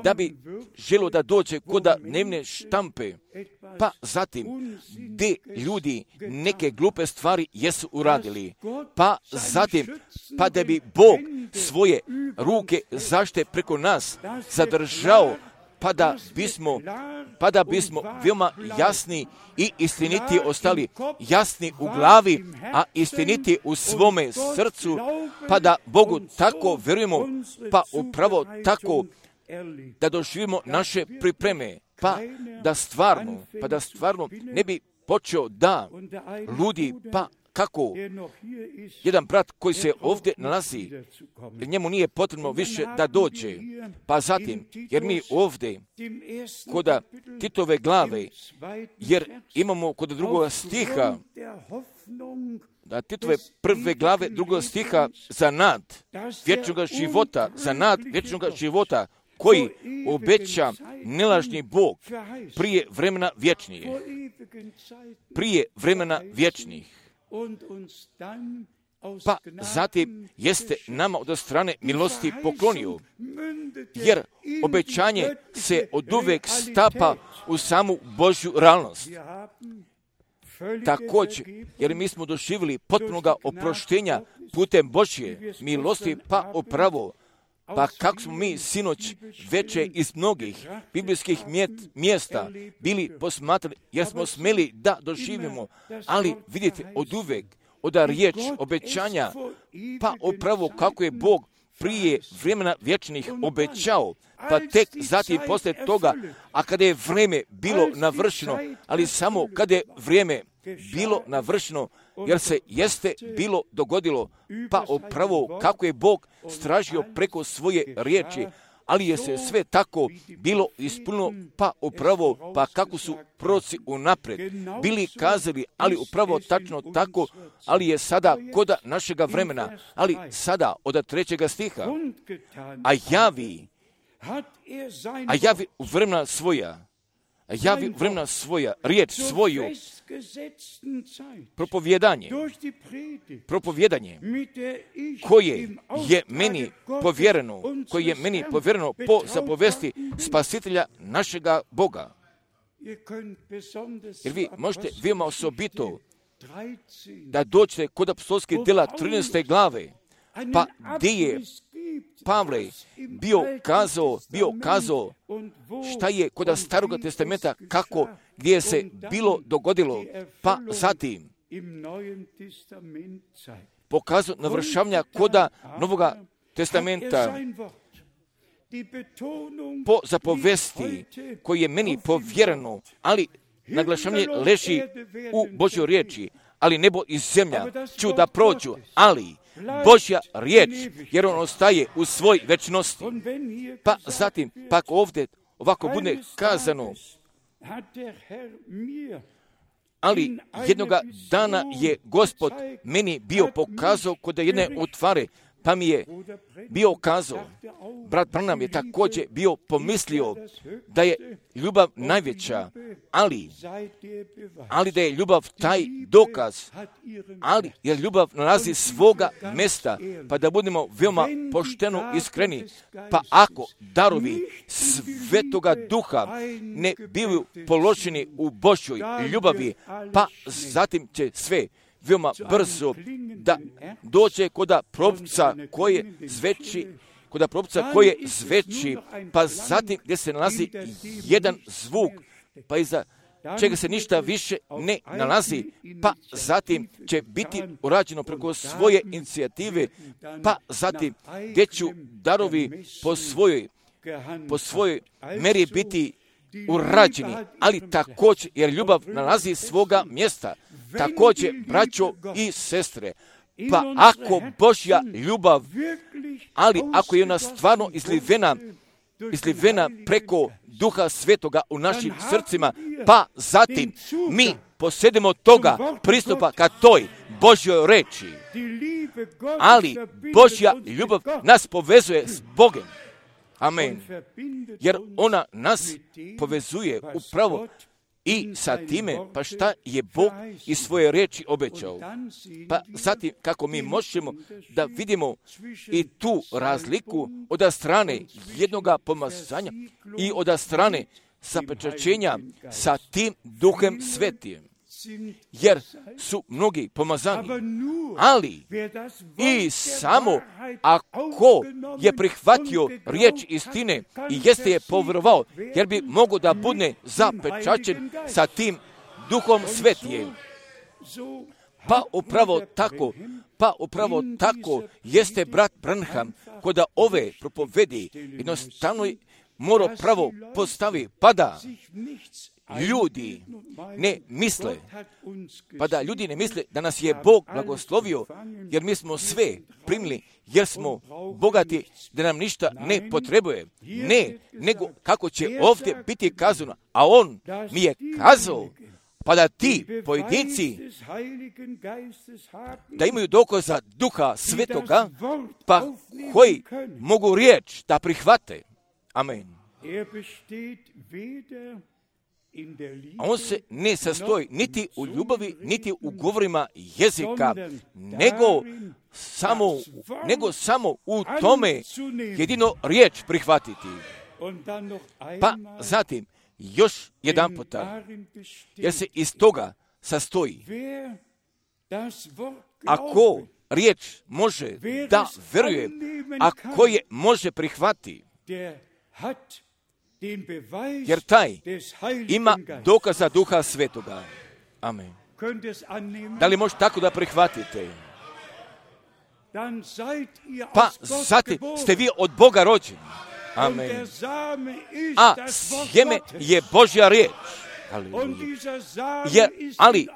da bi želo da dođe kod dnevne štampe, pa zatim gdje ljudi neke glupe stvari jesu uradili, pa zatim, pa da bi Bog svoje ruke zaštite preko nas zadržao, pa da bismo veoma jasni i istiniti ostali, jasni u glavi, a istiniti u svome srcu, pa da Bogu tako vjerujemo, pa upravo tako da doživimo naše pripreme, pa da stvarno ne bi počeo da ludi, pa kako jedan brat koji se ovdje nalazi, jer njemu nije potrebno više da dođe, pa zatim, jer mi ovdje kod Titove glave, jer imamo kod drugog stiha, da Titove prve glave drugog stiha za nad vječnog života, koji obeća nelažni Bog prije vremena vječnih. Pa zatim jeste nama od strane milosti poklonio, jer obećanje se oduvek stapa u samu Božju realnost. Također, jer mi smo doživjeli potpunoga oproštenja putem Božje milosti, pa upravo, pa kako smo mi sinoć veče iz mnogih biblijskih mjesta bili posmatrali, jer smo smeli da doživimo, ali vidite oduvek, oda riječ obećanja, pa upravo kako je Bog prije vremena vječnih obećao, pa tek zatim poslije toga, a kada je vrijeme bilo navršeno, ali samo kada je vrijeme bilo navršeno, jer se jeste bilo dogodilo, pa upravo kako je Bog stražio preko svoje riječi, ali je se sve tako bilo ispunilo, pa upravo, pa kako su proroci unaprijed bili kazali, ali upravo tačno tako, ali je sada kod našega vremena, ali sada od 3. stiha, a javi vremena svoja, riječ svoju, propovijedanje koje je meni povjereno po zapovesti Spasitelja našega Boga. Jer vi možete veoma osobito da dođete kod apostolskih djela 13. glave, pa gdje je Pavle bio kazao šta je kod Staroga testamenta, kako, gdje se bilo dogodilo, pa zatim pokazao navršavanja koda Novoga testamenta po zapovesti koji je meni povjereno, ali naglašavanje leži u Božjoj riječi, ali nebo i zemlja ću da prođu, ali Božja riječ, jer on ostaje u svoj večnosti. Pa zatim, pak ovdje ovako bude kazano, ali jednoga dana je Gospod meni bio pokazao kod jedne utvare, pa mi je bio kazao, brat Branham je također bio pomislio da je ljubav najveća, ali da je ljubav taj dokaz, ali jer ljubav nalazi svoga mjesta, pa da budemo veoma pošteno iskreni, pa ako darovi Svetoga Duha ne bivaju položeni u Božjoj ljubavi, pa zatim će sve veoma brzo da dođe koda propca koje zveči, pa zatim gdje se nalazi jedan zvuk, pa iza čega se ništa više ne nalazi, pa zatim će biti urađeno preko svoje inicijative, pa zatim gdje ću darovi po svojoj meri biti urađeni, ali također jer ljubav nalazi svoga mjesta. Također, braćo i sestre, pa ako Božja ljubav, ali ako je ona stvarno izlivena preko Duha Svetoga u našim srcima, pa zatim mi posjedimo toga pristupa ka toj Božjoj reči. Ali Božja ljubav nas povezuje s Bogom. Amen. Jer ona nas povezuje upravo i sa time, pa šta je Bog iz svoje riječi obećao. Pa zatim kako mi možemo da vidimo i tu razliku od strane jednoga pomazanja i od strane zapečaćenja sa tim Duhem Svetim. Jer su mnogi pomazani, ali i samo ako je prihvatio riječ istine i jeste je povjerovao, jer bi mogao da bude zapečaćen sa tim Duhom Svetim. Pa upravo tako jeste brat Branham koda ove propovedi jednostavno mora pravo postavi, pa da ljudi ne misle, da nas je Bog blagoslovio, jer mi smo sve primili, jer smo bogati, da nam ništa ne potrebuje. Ne, nego kako će ovdje biti kazano, a on mi je kazao, pa da ti pojedinci da imaju dokaza Duha Svetoga, pa koji mogu riječ da prihvate. Amen. A on se ne sastoji niti u ljubavi, niti u govorima jezika, nego samo u tome jedino riječ prihvatiti. Pa zatim, još jedan puta, jer se iz toga sastoji. Ako riječ može da veruje, ako je može prihvati, jer taj ima dokaza Duha Svetoga. Amen. Da li može tako da prihvatite? Pa zatim ste vi od Boga rođeni. Amen. A sjeme je Božja riječ. Ali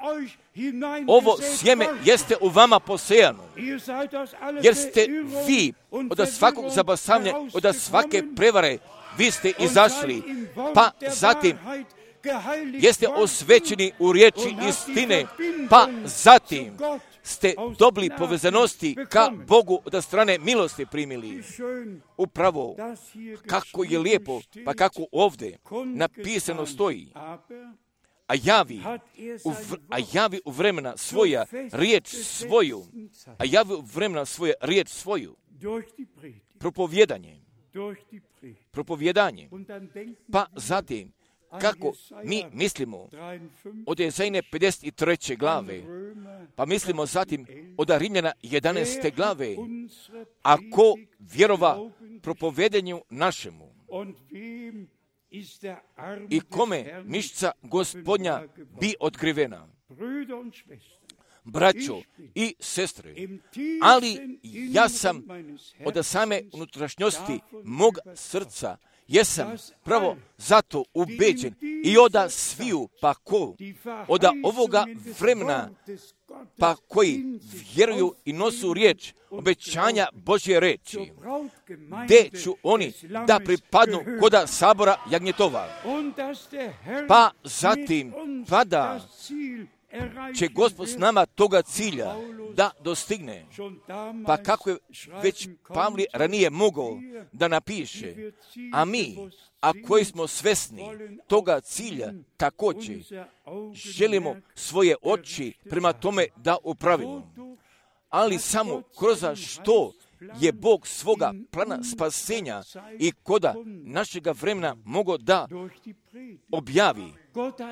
ovo sjeme jeste u vama posejano. Jer ste vi od svakog zabasavanja, od svake prevare, vi ste izašli, pa zatim jeste osvećeni u riječi istine, pa zatim ste dobili povezanosti ka Bogu od strane milosti primili. Upravo kako je lijepo, pa kako ovdje napisano stoji, a javi u vremena svoja riječ svoju, propovijedanje. Pa zatim, kako mi mislimo od Jezajne 53. glave, pa mislimo zatim od Rimljana 11. glave, ako vjerova propovedanju našemu i kome mišca Gospodnja bi otkrivena. Braćo i sestre, ali ja sam od same unutrašnjosti mog srca, jesam pravo zato ubeđen i oda sviju, pa ko, oda ovoga vremena pa koji vjeruju i nosu riječ, obećanja Božje reči, gdje ću oni da pripadnu koda sabora jagnjetova. Pa zatim, da će Gospod s nama toga cilja da dostigne. Pa kako je već Pavli ranije mogao da napiše, a mi, a koji smo svesni toga cilja, također želimo svoje oči prema tome da upravimo. Ali samo kroz što je Bog svoga plana spasenja i koda našega vremena mogao da objavi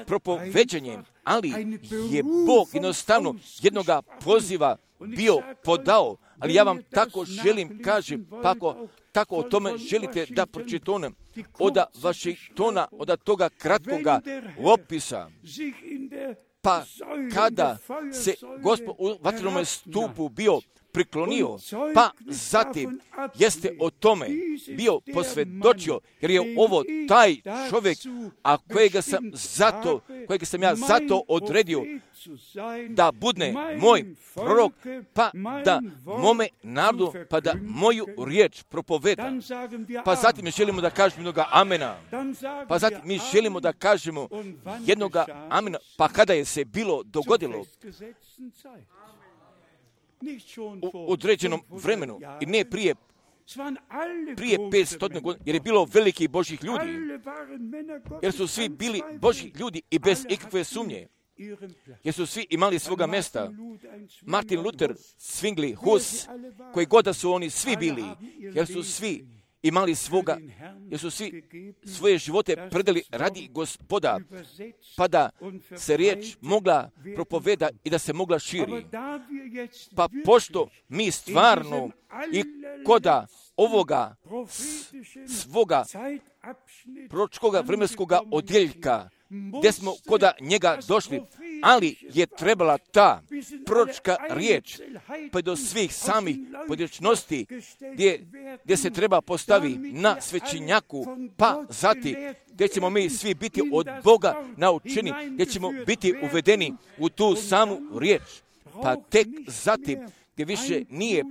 propoveđanjem, ali je Bog jednostavno jednoga poziva bio podao, ali ja vam tako želim kažem, pa ako tako o tome želite da pročitam od Vašingtona, od toga kratkoga opisa, pa kada se Gospod u vatrenome stupu bio priklonio, pa zatim jeste o tome bio posvjedočio, jer je ovo taj čovjek, a kojega sam ja zato odredio da bude moj prorok, pa da mome narodu, pa da moju riječ propoveda. Pa zatim mi želimo da kažemo jednoga amena. Pa zatim mi želimo da kažemo jednoga amena, pa kada je se bilo dogodilo u određenom vremenu i ne prije 500 godina, jer je bilo velikih Božjih ljudi, jer su svi bili Božji ljudi i bez ikakve sumnje, jer su svi imali svoga mjesta. Martin Luther, Zwingli, Hus, koji god da su oni svi bili, jer su svi imali svoga, jer su svi svoje živote predali radi Gospoda, pa da se riječ mogla propoveda i da se mogla širi. Pa pošto mi stvarno i koda ovoga svoga proročkoga vremenskoga odjeljka, gdje smo koda njega došli, ali je trebala ta proročka riječ pa do svih samih pojedinačnosti gdje se treba postavi na svećenjaku, pa zatim gdje ćemo mi svi biti od Boga naučeni, gdje ćemo biti uvedeni u tu samu riječ, pa tek zatim gdje više nije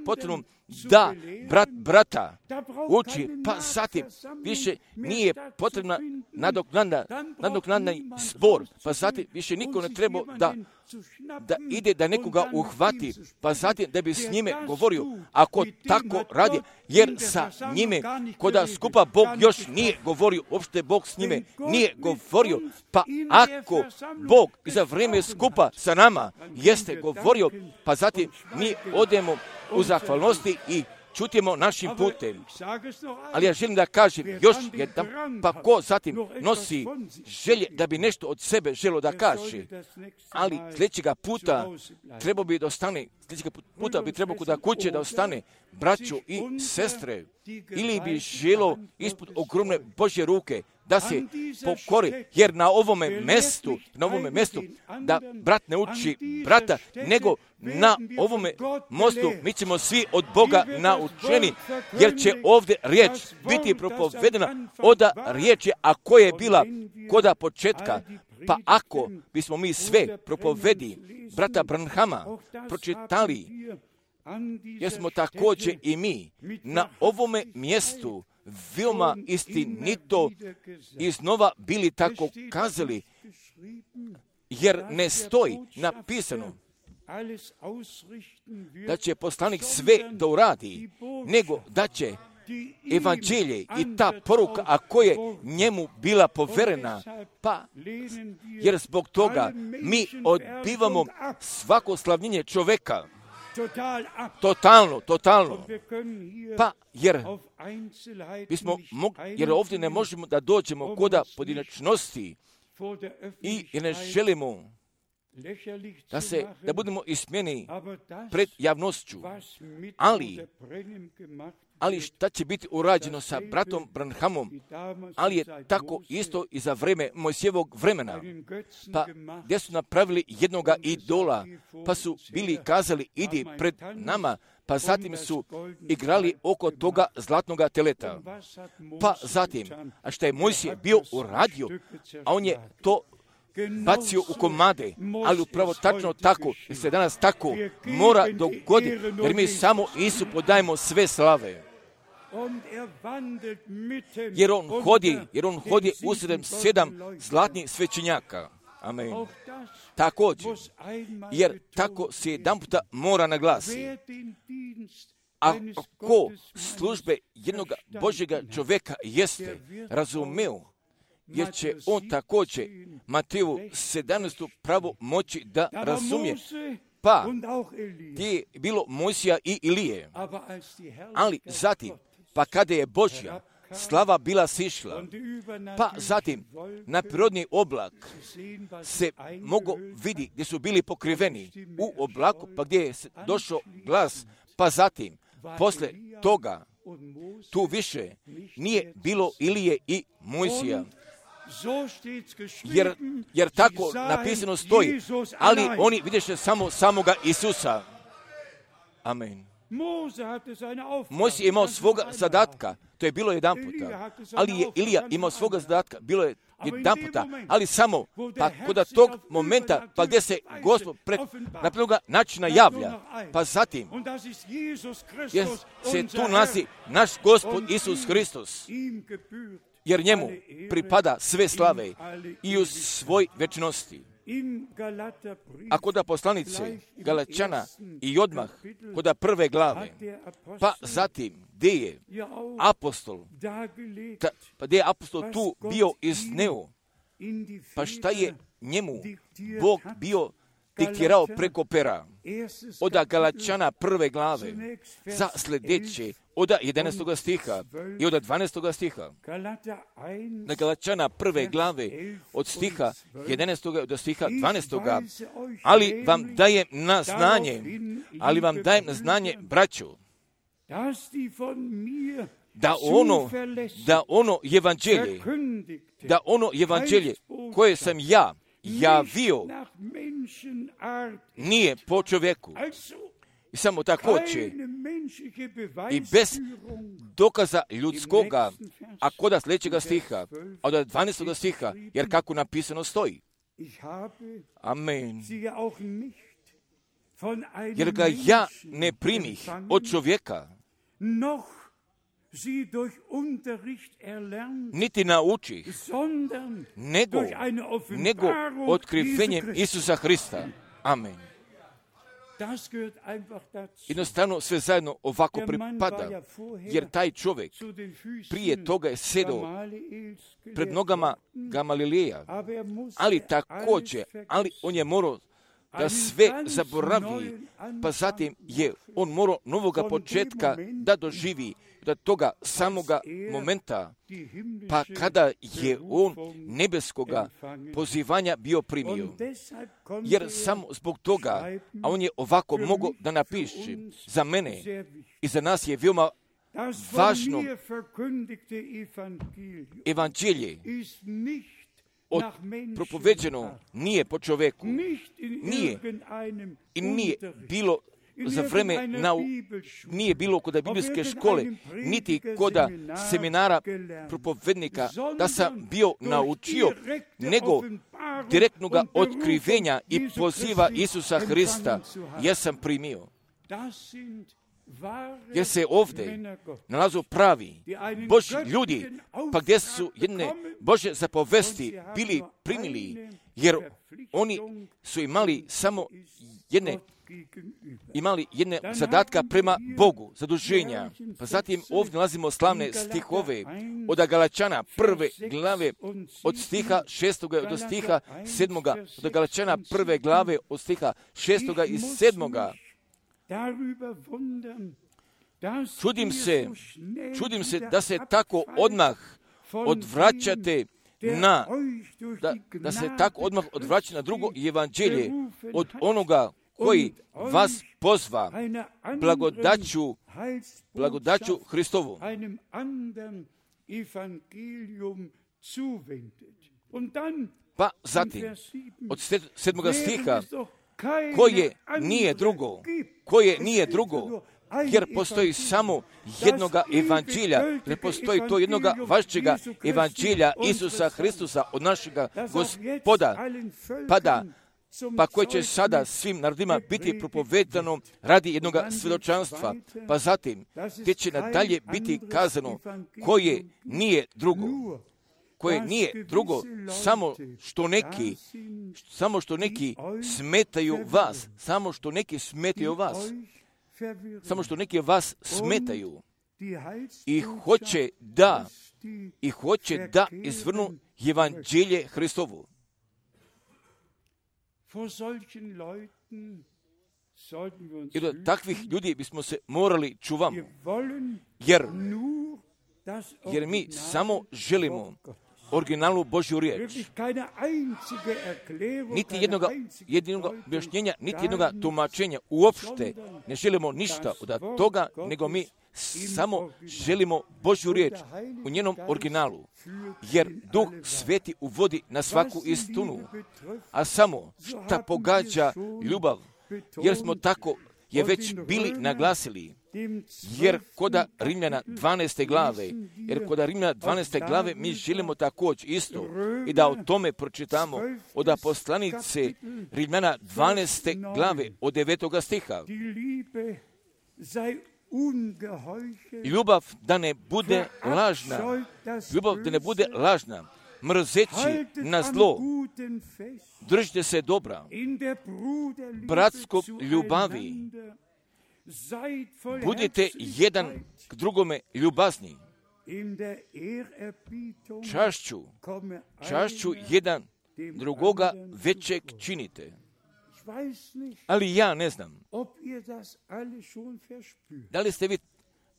potrebno da brata uči, pa zatim više nije potrebna nadoknadni zbor, pa zatim više niko ne treba da ide da nekoga uhvati, pa zatim da bi s njime govorio, ako tako radi, jer sa njime koda skupa Bog još nije govorio, uopšte Bog s njime nije govorio, pa ako Bog za vrijeme skupa sa nama jeste govorio, pa zatim mi odemo u zahvalnosti i čutimo našim putem. Ali ja želim da kažem još jedan, pa ko zatim nosi želje da bi nešto od sebe želo da kaže, ali sljedećega puta treba bi da ostane, kuda kuće da ostane, braćo i sestre, ili bi želo ispod ogromne Božje ruke da se pokori, jer na ovome mjestu, da brat ne uči brata, nego na ovome mostu mi ćemo svi od Boga naučeni, jer će ovdje riječ biti propovedena od riječi, a koja je bila koda početka. Pa ako bismo mi sve propovedi brata Branhama pročitali, jer smo također i mi na ovome mjestu veoma istinito iznova bili tako kazali, jer ne stoji napisano da će poslanik sve da uradi, nego da će evanđelje i ta poruka, a koja je njemu bila poverena, pa jer zbog toga mi odbivamo svako slavljenje čoveka. Totalno. Pa jer ovdje ne možemo da dođemo koda pojedinačnosti i ne želimo da budemo ismijeni pred javnošću. Ali šta će biti urađeno sa bratom Branhamom, ali je tako isto i za vreme Mojsijevog vremena, pa gdje su napravili jednoga idola, pa su bili kazali idi pred nama, pa zatim su igrali oko toga zlatnoga teleta. Pa zatim, a šta je Mojsije bio uradio, a on je to bacio u komade, ali upravo tačno tako, jer se danas tako mora dogoditi, jer mi samo Isu podajemo sve slave. Jer on hodi usred 7 zlatnih svećenjaka. Amen. Također, jer tako se jedan puta mora naglasiti. Ako službe jednog Božjega čovjeka jeste razumeo, jer će on također Mateju 17. pravo moći da razumije. Pa, gdje je bilo Mojsija i Ilije. Ali zatim, pa kada je Božja slava bila sišla, pa zatim na prirodni oblak se mogo vidi gdje su bili pokriveni u oblaku, pa gdje je došao glas, pa zatim, posle toga, tu više nije bilo Ilije i Mojsija. Jer tako napisano stoji, ali oni vidiše samo samoga Isusa. Amen. Mojsije je imao svoga zadatka, to je bilo jedan puta, ali je Ilija imao svoga zadatka, bilo je jedan puta, ali samo, pa kod tog momenta, pa gdje se Gospod na prvoga načina javlja, pa zatim, jer se tu nalazi naš Gospod Isus Hristos, jer njemu pripada sve slave i u svoj večnosti. A kod poslanice Galačana i odmah kod prve glave, pa zatim gdje je apostol, gdje je apostol tu bio izneo, pa šta je njemu Bog bio diktirao preko pera, od Galačana prve glave, za sljedeće, od 11. stiha i od 12. stiha. Na Galačana prve glave, od stiha 11. do stiha 12. Ali vam dajem na znanje, braćo, da ono evanđelje koje sam ja javio nije po čovjeku. I samo tako će i bez dokaza ljudskoga, a kod sljedećega stiha, od 12. stiha, jer kako napisano stoji. Amen. Jer ga ja ne primih od čovjeka, niti naučih, nego otkrivenjem Isusa Hrista. Amen. Jednostavno sve zajedno ovako pripada, jer taj čovjek prije toga je sedao pred nogama Gamalileja, ali također, on je morao da sve zaboravi, pa zatim je on morao novoga početka da doživi do toga samoga momenta, pa kada je on nebeskoga pozivanja bio primio. Jer samo zbog toga, a on je ovako mogao da napiše, za mene i za nas je veoma važno evanđelje propoveđeno nije po čovjeku, nije bilo za vreme nije bilo kod biblijske škole, niti kod seminara propovednika da sam bio naučio, nego direktnog otkrivenja i poziva Isusa Hrista, jer sam primio. Jer se ovdje nalazu pravi Božji ljudi, pa gdje su jedne Božje zapovesti bili primili, jer oni su imali samo jedne zadatka prema Bogu, zaduženja. Pa zatim ovdje nalazimo slavne stihove od Galačana prve glave od stiha 6. do stiha 7. Od Galačana prve glave od stiha 6. i 7. Čudim se da se tako odmah odvraćate da se tako odmah odvraća na drugo evanđelje od onoga koji vas pozva blagodaću Hristovu. Pa zatim, od 7. stiha, koje nije drugo, jer postoji samo jednoga evanđelja, ne postoji to jednoga vašćega evanđelja Isusa Hristusa od našega Gospoda, pa koje će sada svim narodima biti propovedano radi jednoga svjedočanstva, pa zatim te će nadalje biti kazano koje nije drugo, samo što neki smetaju vas, samo što neki vas smetaju i hoće da izvrnu evanđelje Hristovu. I do takvih ljudi bismo se morali čuvamo, jer mi samo želimo originalnu Božju riječ. Niti jednog objašnjenja, niti jednog tumačenja. Uopšte ne želimo ništa od toga, nego mi samo želimo Božju riječ u njenom originalu. Jer Duh Sveti uvodi na svaku istinu. A samo šta pogađa ljubav, jer smo tako je već bili naglasili. Jer koda Rimljana 12. glave mi želimo također isto i da o tome pročitamo od poslanice Rimljana 12. glave od 9. stiha. Ljubav da ne bude lažna, mrzeći na zlo, držite se dobra, bratskog ljubavi, budite jedan k drugome ljubazni, čašću jedan drugoga većeg činite. Ali ja ne znam,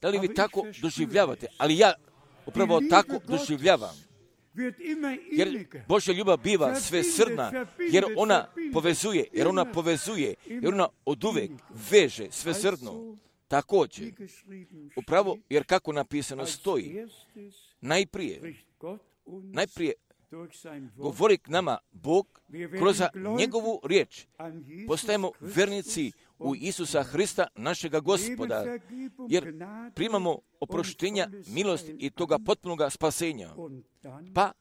da li vi tako doživljavate, ali ja upravo tako doživljavam. Jer Božja ljubav biva svesrdna, jer ona povezuje, jer ona oduvek veže svesrdno. Također, upravo, jer kako napisano stoji, najprije govori k nama Bog kroz njegovu riječ. Postajemo vernici u Isusa Hrista, našega Gospoda, jer primamo oproštenja, milosti i toga potpunoga spasenja. Pa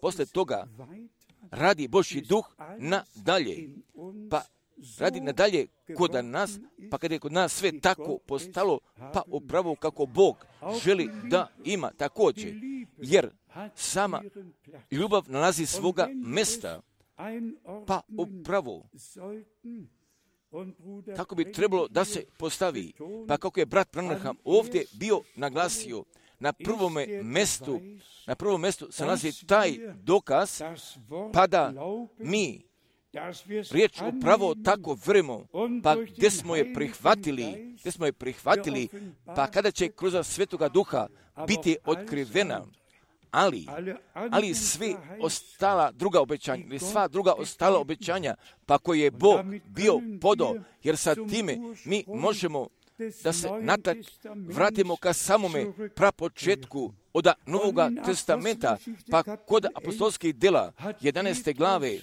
posle toga radi Božji duh nadalje. Pa radi nadalje kod nas, pa kada je kod nas sve tako postalo, pa upravo kako Bog želi da ima također. Jer sama ljubav nalazi svoga mesta, pa upravo tako bi trebalo da se postavi. Pa kako je brat Branham ovdje bio naglasio, na prvom mjestu se nalazi taj dokaz, pa mi riječ upravo tako vremo, pa gdje smo je prihvatili, pa kada će kroz Svetoga Duha biti otkrivena, ali sva druga ostala obećanja, pa koje je Bog bio podao, jer sa time mi možemo da se natak vratimo ka samome prapočetku od Novoga testamenta, pa kod apostolskih dela 11. glave,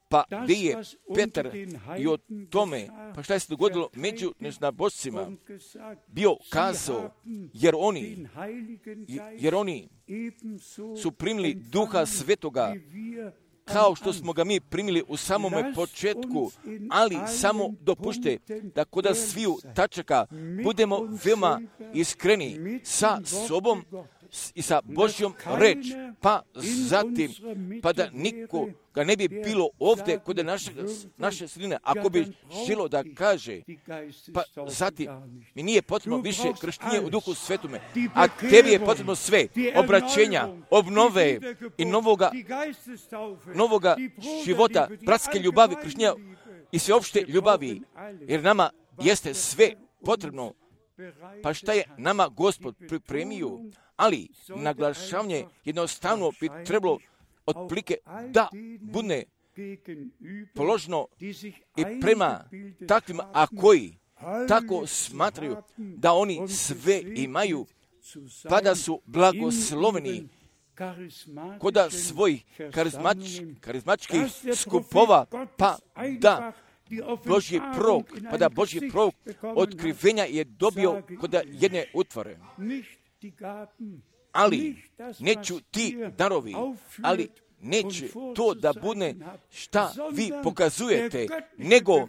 pa gdje je Petar i o tome, pa šta je se dogodilo među neznabošcima, bio kazao, jer oni su primili Duha Svetoga, kao što smo ga mi primili u samome početku, ali samo dopušte da kod sviju tačaka budemo veoma iskreni sa sobom i sa Božjom reč, pa zatim, pa da nikoga ne bi bilo ovdje kod naše sredine, ako bi želo da kaže, pa zatim, mi nije potrebno više krštenje u Duhu Svetome, a tebi je potrebno sve, obraćenja, obnove i novoga života, bratske ljubavi, krštenja i sveopšte ljubavi, jer nama jeste sve potrebno. Pa šta je nama Gospod pripremio? Ali naglašavanje jednostavno bi trebalo otprilike da bude položno i prema takvima, a koji tako smatraju da oni sve imaju, pa da su blagosloveni kod svojih karizmatičkih skupova, pa da Božji prorok, pa da Božji prorok otkrivenja je dobio kod jedne utvore. Ali neću ti darovi, ali neće to da bude šta vi pokazujete, nego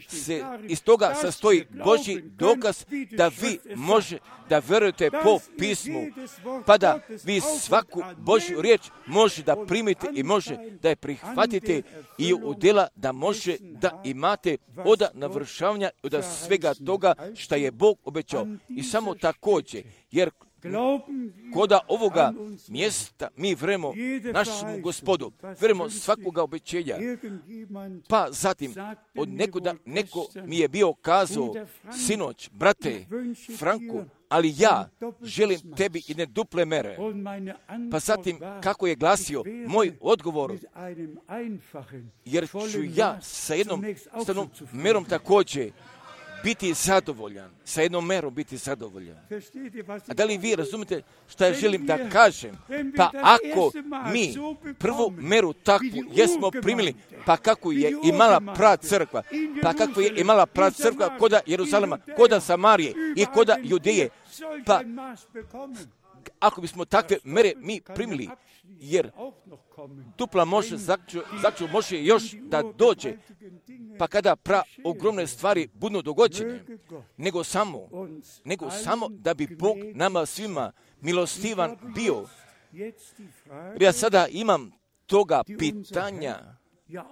se iz toga sastoji Božji dokaz da vi može da verujete po pismu, pa da vi svaku Božju riječ može da primite i može da je prihvatite i u djela da može da imate od navršavanja, od svega toga što je Bog obećao. I samo također, jer koda ovoga mjesta mi vremo našemu Gospodu, vremo svakoga obećenja. Pa zatim od nekuda neko mi je bio kazao, sinoć, brate Franku, ali ja želim tebi i ne duple mere. Pa zatim kako je glasio moj odgovor, jer ću ja sa jednom merom također biti zadovoljan, sa jednom merom biti zadovoljan. A da li vi razumite što ja želim da kažem? Pa ako mi prvu meru takvu jesmo primili, pa kako je imala prava crkva, pa kako je imala prava crkva koda Jeruzalema, koda Samarije i koda Judeje, pa ako bismo takve mere mi primili, jer dupla može, može još da dođe, pa kada ogromne stvari budu dogođene, nego samo da bi Bog nama svima milostivan bio. Ja sada imam toga pitanja,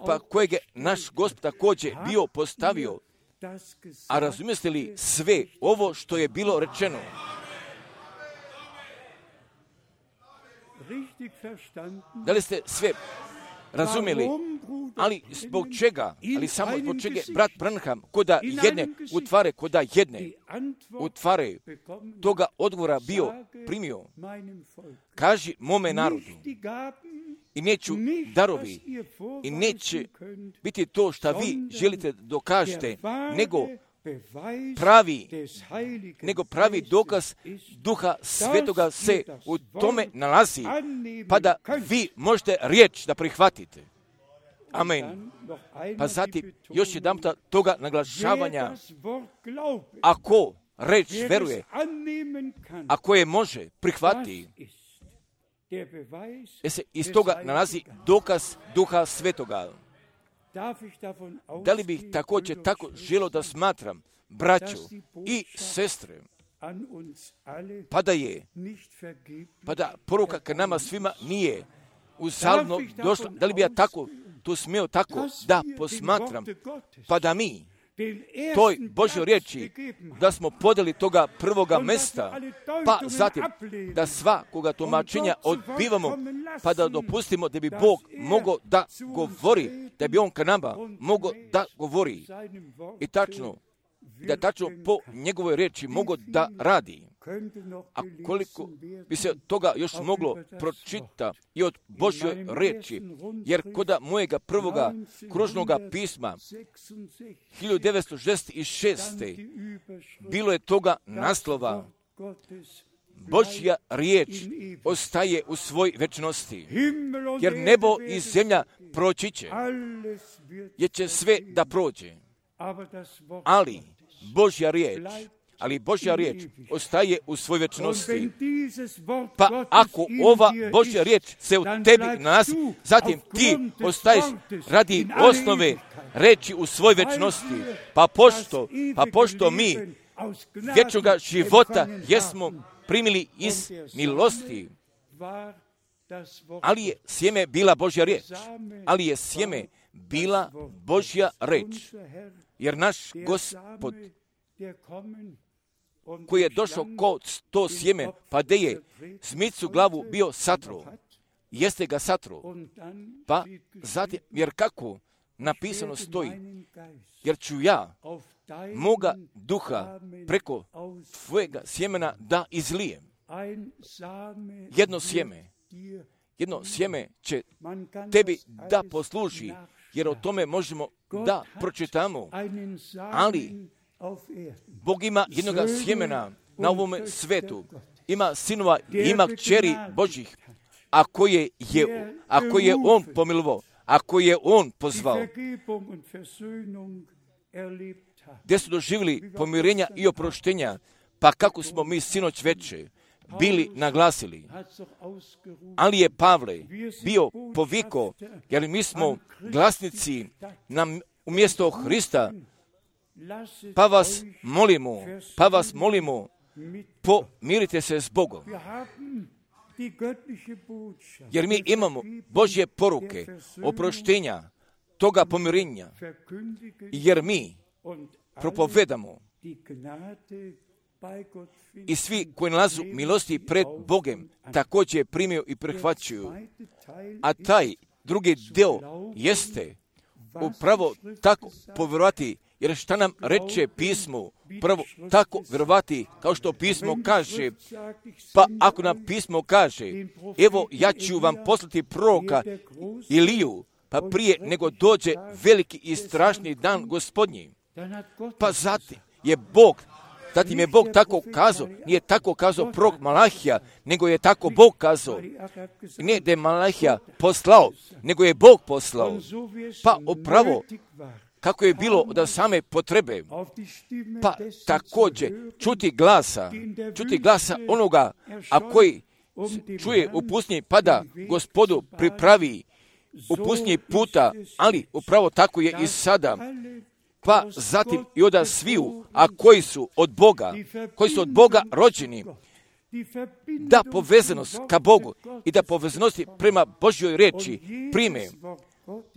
pa kojeg je naš Gospod također bio postavio, a razumijete li sve ovo što je bilo rečeno? Da li ste sve razumjeli? Ali zbog čega? Ali samo zbog čega brat Branham koda jedne utvare toga odgovora bio primio? Kaži mome narodu i neću darovi i neće biti to što vi želite dokažete, nego pravi dokaz Duha Svetoga se u tome nalazi, pa da vi možete riječ da prihvatite. Amen. Pa zatim još jedan toga naglašavanja, ako reč veruje, ako je može prihvati, se iz toga nalazi dokaz Duha Svetoga. Da li bih također tako želio da smatram, braćo i sestre, pa da poruka ka nama svima nije uzaludno došla, da li bi ja tako to smio tako da posmatram, pa da mi toj Božoj riječi da smo podeli toga prvoga mesta, pa zatim da svakoga tumačenja odbivamo, pa da dopustimo da bi Bog mogao da govori, da bi On ka nama mogao da govori i tačno po njegovoj riječi mogao da radi. A koliko bi se toga još moglo pročita i od Božjoj riječi, jer koda mojega prvoga kružnoga pisma 1966. bilo je toga naslova Božja riječ ostaje u svoj večnosti, jer nebo i zemlja proći će, jer će sve da prođe, ali Božja riječ ostaje u svoj večnosti. Pa ako ova Božja riječ se u tebi nalazi, zatim ti ostaješ radi osnove reći u svoj večnosti. Pa pošto mi vječnoga života jesmo primili iz milosti, ali je sjeme bila Božja riječ. Jer naš Gospod koji je došao kod to sjeme, pa da je smicu glavu bio satro, jeste ga satro, pa zatim, jer kako napisano stoji, jer ću ja moga duha preko tvojega sjemena da izlijem. Jedno sjeme će tebi da posluži, jer o tome možemo da pročitamo, ali Bog ima jednoga sjemena na ovome svetu, ima sinova, ima kćeri Božih, a koje je On pomilovao, ako je on pozvao, gdje su doživjeli pomirenja i oproštenja, pa kako smo mi sinoć veče bili naglasili. Ali je Pavle bio poviko, jer mi smo glasnici umjesto Hrista, pa vas molimo, pomirite se s Bogom. Jer mi imamo Božje poruke, oproštenja, toga pomirenja, jer mi propovedamo i svi koji nalazu milosti pred Bogom također primiju i prihvaćuju. A taj drugi dio jeste upravo tako povjerovati, jer šta nam reče pismo, prvo tako vjerovati kao što pismo kaže. Pa ako nam pismo kaže, evo ja ću vam poslati proroka Iliju, pa prije nego dođe veliki i strašni dan Gospodnji. Pa zatim je Bog tako kazao, nije tako kazao prorok Malahija, nego je tako Bog kazao. Ne da je Malahija poslao, nego je Bog poslao. Pa upravo kako je bilo od same potrebe, pa također čuti glasa onoga, a koji čuje u pustinji, pa da Gospodu pripravi u pustinji puta, ali upravo tako je i sada. Pa zatim i od sviju, a koji su od Boga rođeni, da povezanost ka Bogu i da povezanosti prema Božjoj riječi prime.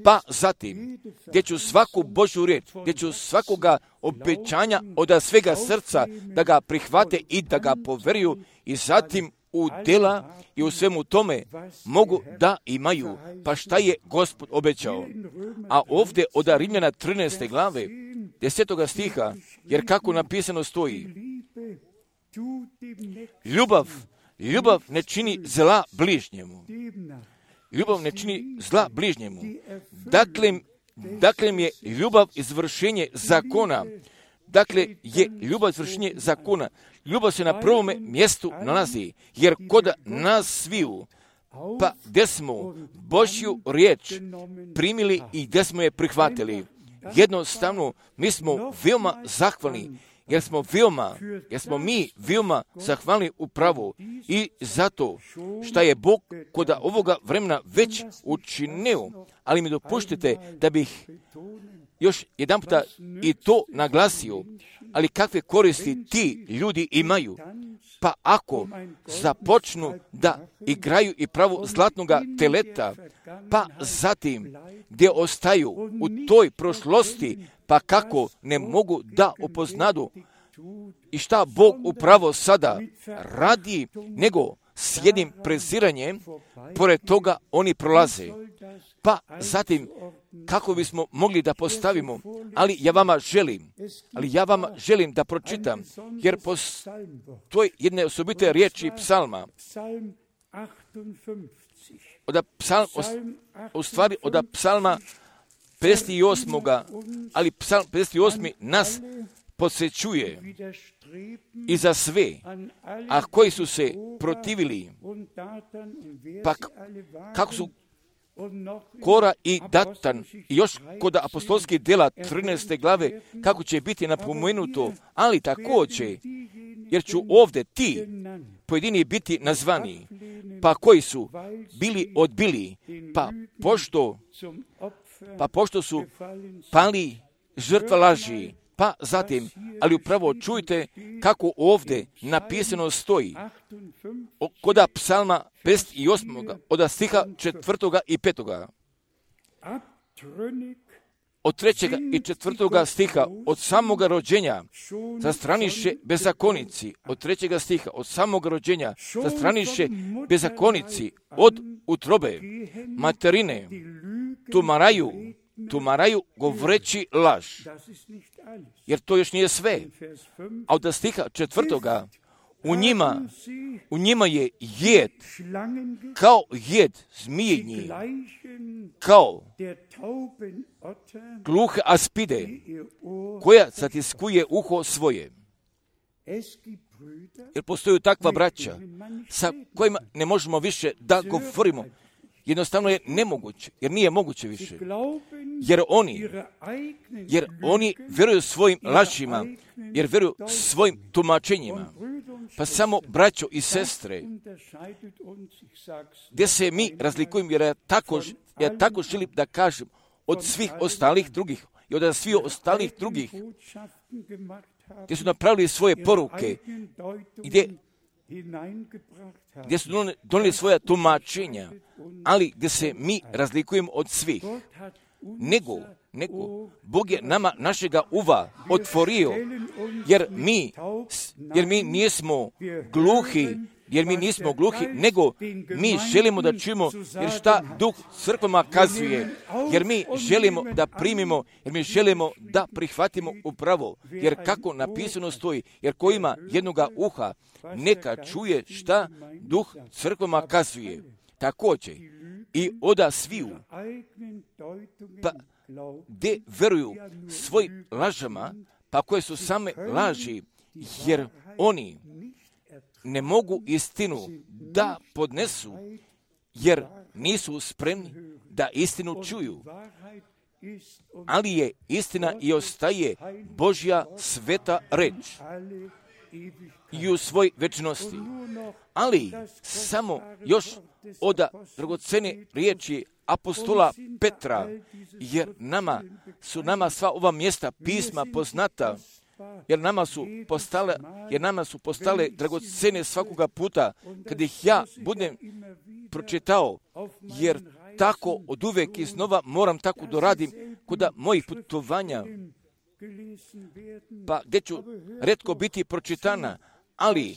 Pa zatim, gdje ću svaku Božju riječ, gdje ću svakoga obećanja od svega srca da ga prihvate i da ga poveruju i zatim u djela i u svemu tome mogu da imaju. Pa šta je Gospod obećao? A ovdje od Rimljana 13. glave 10. stiha, jer kako napisano stoji, ljubav ne čini zla bližnjemu. Ljubav ne čini zla bližnjemu. Dakle je ljubav izvršenje zakona. Dakle je ljubav izvršenje zakona. Ljubav se na prvome mjestu nalazi, jer kod nas sviju, pa gdje smo Božju riječ primili i gdje smo je prihvatili. Jednostavno, mi smo veoma zahvalni, jer smo mi veoma zahvalni upravo i zato što je Bog kod ovoga vremena već učinio, ali mi dopuštite da bih još jedan puta i to naglasio, ali kakve koristi ti ljudi imaju, pa ako započnu da igraju i pravo zlatnoga teleta, pa zatim gdje ostaju u toj prošlosti, pa kako ne mogu da upoznadu i šta Bog upravo sada radi, nego s jednim preziranjem, pored toga oni prolaze. Pa zatim, kako bismo mogli da postavimo, ali ja vama želim da pročitam, jer postoji jedne osobite riječi psalma, od psalma 58. ali psalm 58. nas podsjećuje i za sve, a koji su se protivili, pa kako su Kora i Datan, i još kod apostolskih djela 13. glave, kako će biti napomenuto, ali također, jer ću ovdje ti pojedini biti nazvani, pa koji su bili odbili, pa pošto su pali žrtva laži, pa zatim, ali upravo čujte kako ovdje napisano stoji, kod psalma 58. od stiha 4. i 5. Od 3. i 4. stiha, od samoga rođenja zastraniše bezakonici, od 3. stiha, od samoga rođenja zastraniše bezakonici, od utrobe materine tumaraju govoreći laž. Jer to još nije sve. A od stiha 4. u njima je jed, kao jed zmijenji, kao gluhe aspide, koja zatiskuje uho svoje. Jer postoji takva braća sa kojima ne možemo više da govorimo, jednostavno je nemoguće, jer nije moguće više. Jer oni vjeruju svojim lažima, jer vjeruju svojim tumačenjima. Pa samo, braćo i sestre, gdje se mi razlikujemo, jer ja tako želim da kažem, od svih ostalih drugih i od svih ostalih drugih, gdje su napravili svoje poruke, gdje su donijeli svoja tumačenja, ali gdje se mi razlikujemo od svih. Nego, Bog je nama našega uva otvorio, jer mi nismo gluhi, nego mi želimo da čujemo, jer šta Duh crkvama kazuje, jer mi želimo da primimo, jer mi želimo da prihvatimo upravo, jer kako napisano stoji, jer ko ima jednoga uha, neka čuje šta Duh crkvama kazuje. Također i oda sviju, pa gdje veruju svojim lažama, pa koje su same laži, jer oni ne mogu istinu da podnesu, jer nisu spremni da istinu čuju. Ali je istina i ostaje Božja sveta reč i u svoj večnosti. Ali samo još od dragocene riječi apostola Petra, jer nama sva ova mjesta pisma poznata, jer nama su postale dragocene svakoga puta kad ih ja budem pročitao, jer tako od uvek iznova moram tako doradim kod mojih putovanja, pa gdje ću retko biti pročitana, ali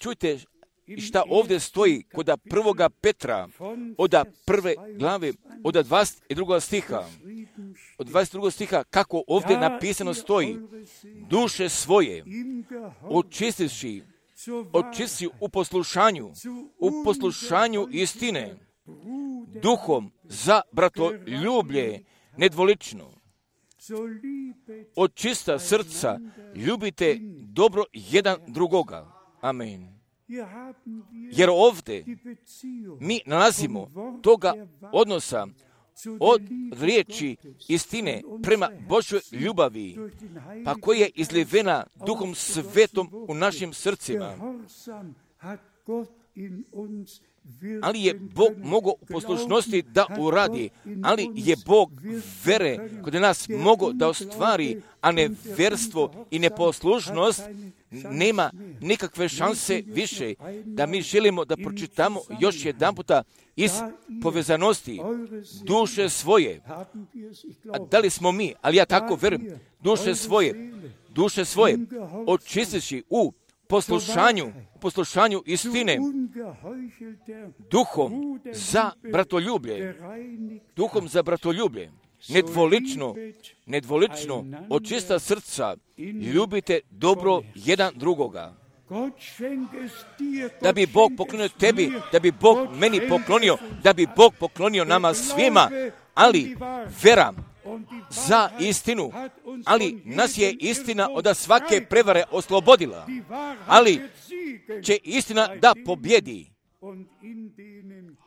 čujte šta ovdje stoji kod 1. Petra, od 1. glave, od 22. stiha. Od 22. stiha, kako ovdje napisano stoji, duše svoje očistivši u poslušanju istine, duhom za bratoljublje nedvolično. Od čista srca ljubite dobro jedan drugoga. Amen. Jer ovdje mi nalazimo toga odnosa od riječi istine prema Božoj ljubavi, pa koja je izlivena Duhom Svetom u našim srcima. Ali je Bog mogao u poslušnosti da uradi, ali je Bog vere kod nas mogao da ostvari, a neverstvo i neposlušnost nema nikakve šanse više, da mi želimo da pročitamo još jedan puta iz povezanosti duše svoje. A da li smo mi, ali ja tako verujem, duše svoje očistivši u poslušanju istine, duhom za bratoljublje, nedvolično, od čista srca, ljubite dobro jedan drugoga. Da bi Bog poklonio tebi, da bi Bog meni poklonio, da bi Bog poklonio nama svima, ali vera za istinu, ali nas je istina od svake prevare oslobodila, ali će istina da pobjedi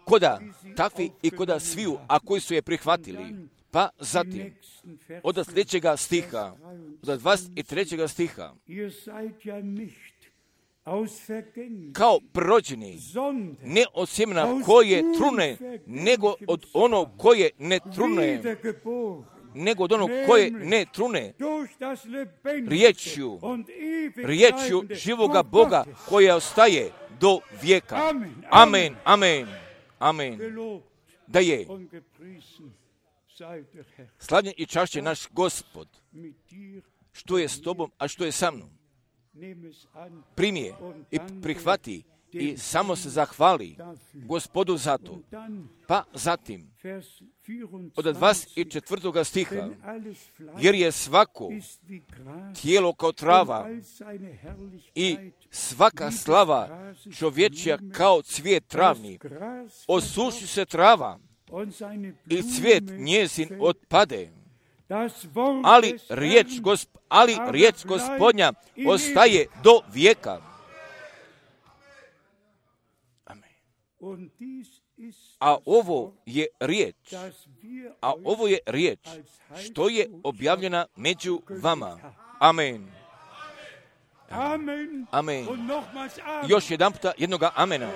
koda takvi i koda sviju, a koji su je prihvatili. Pa zatim, od sljedećega stiha, od 23. stiha, kao prorođeni, ne od sjemena koje trune, nego od onog koje ne trune, riječju živoga Boga koja ostaje do vijeka. Amen, amen, amen. Da je slavljen i čašćen naš Gospod, što je s tobom, a što je sa mnom. Primi je i prihvati i samo se zahvali Gospodu za to. Pa zatim, od 24. stiha, jer je svako tijelo kao trava i svaka slava čovječja kao cvijet travni, osuši se trava i cvijet njezin otpade, ali riječ Gospodnja ostaje do vijeka. Amen. A ovo je riječ što je objavljena među vama. Amen. Amen. Još jedan puta jednoga amena.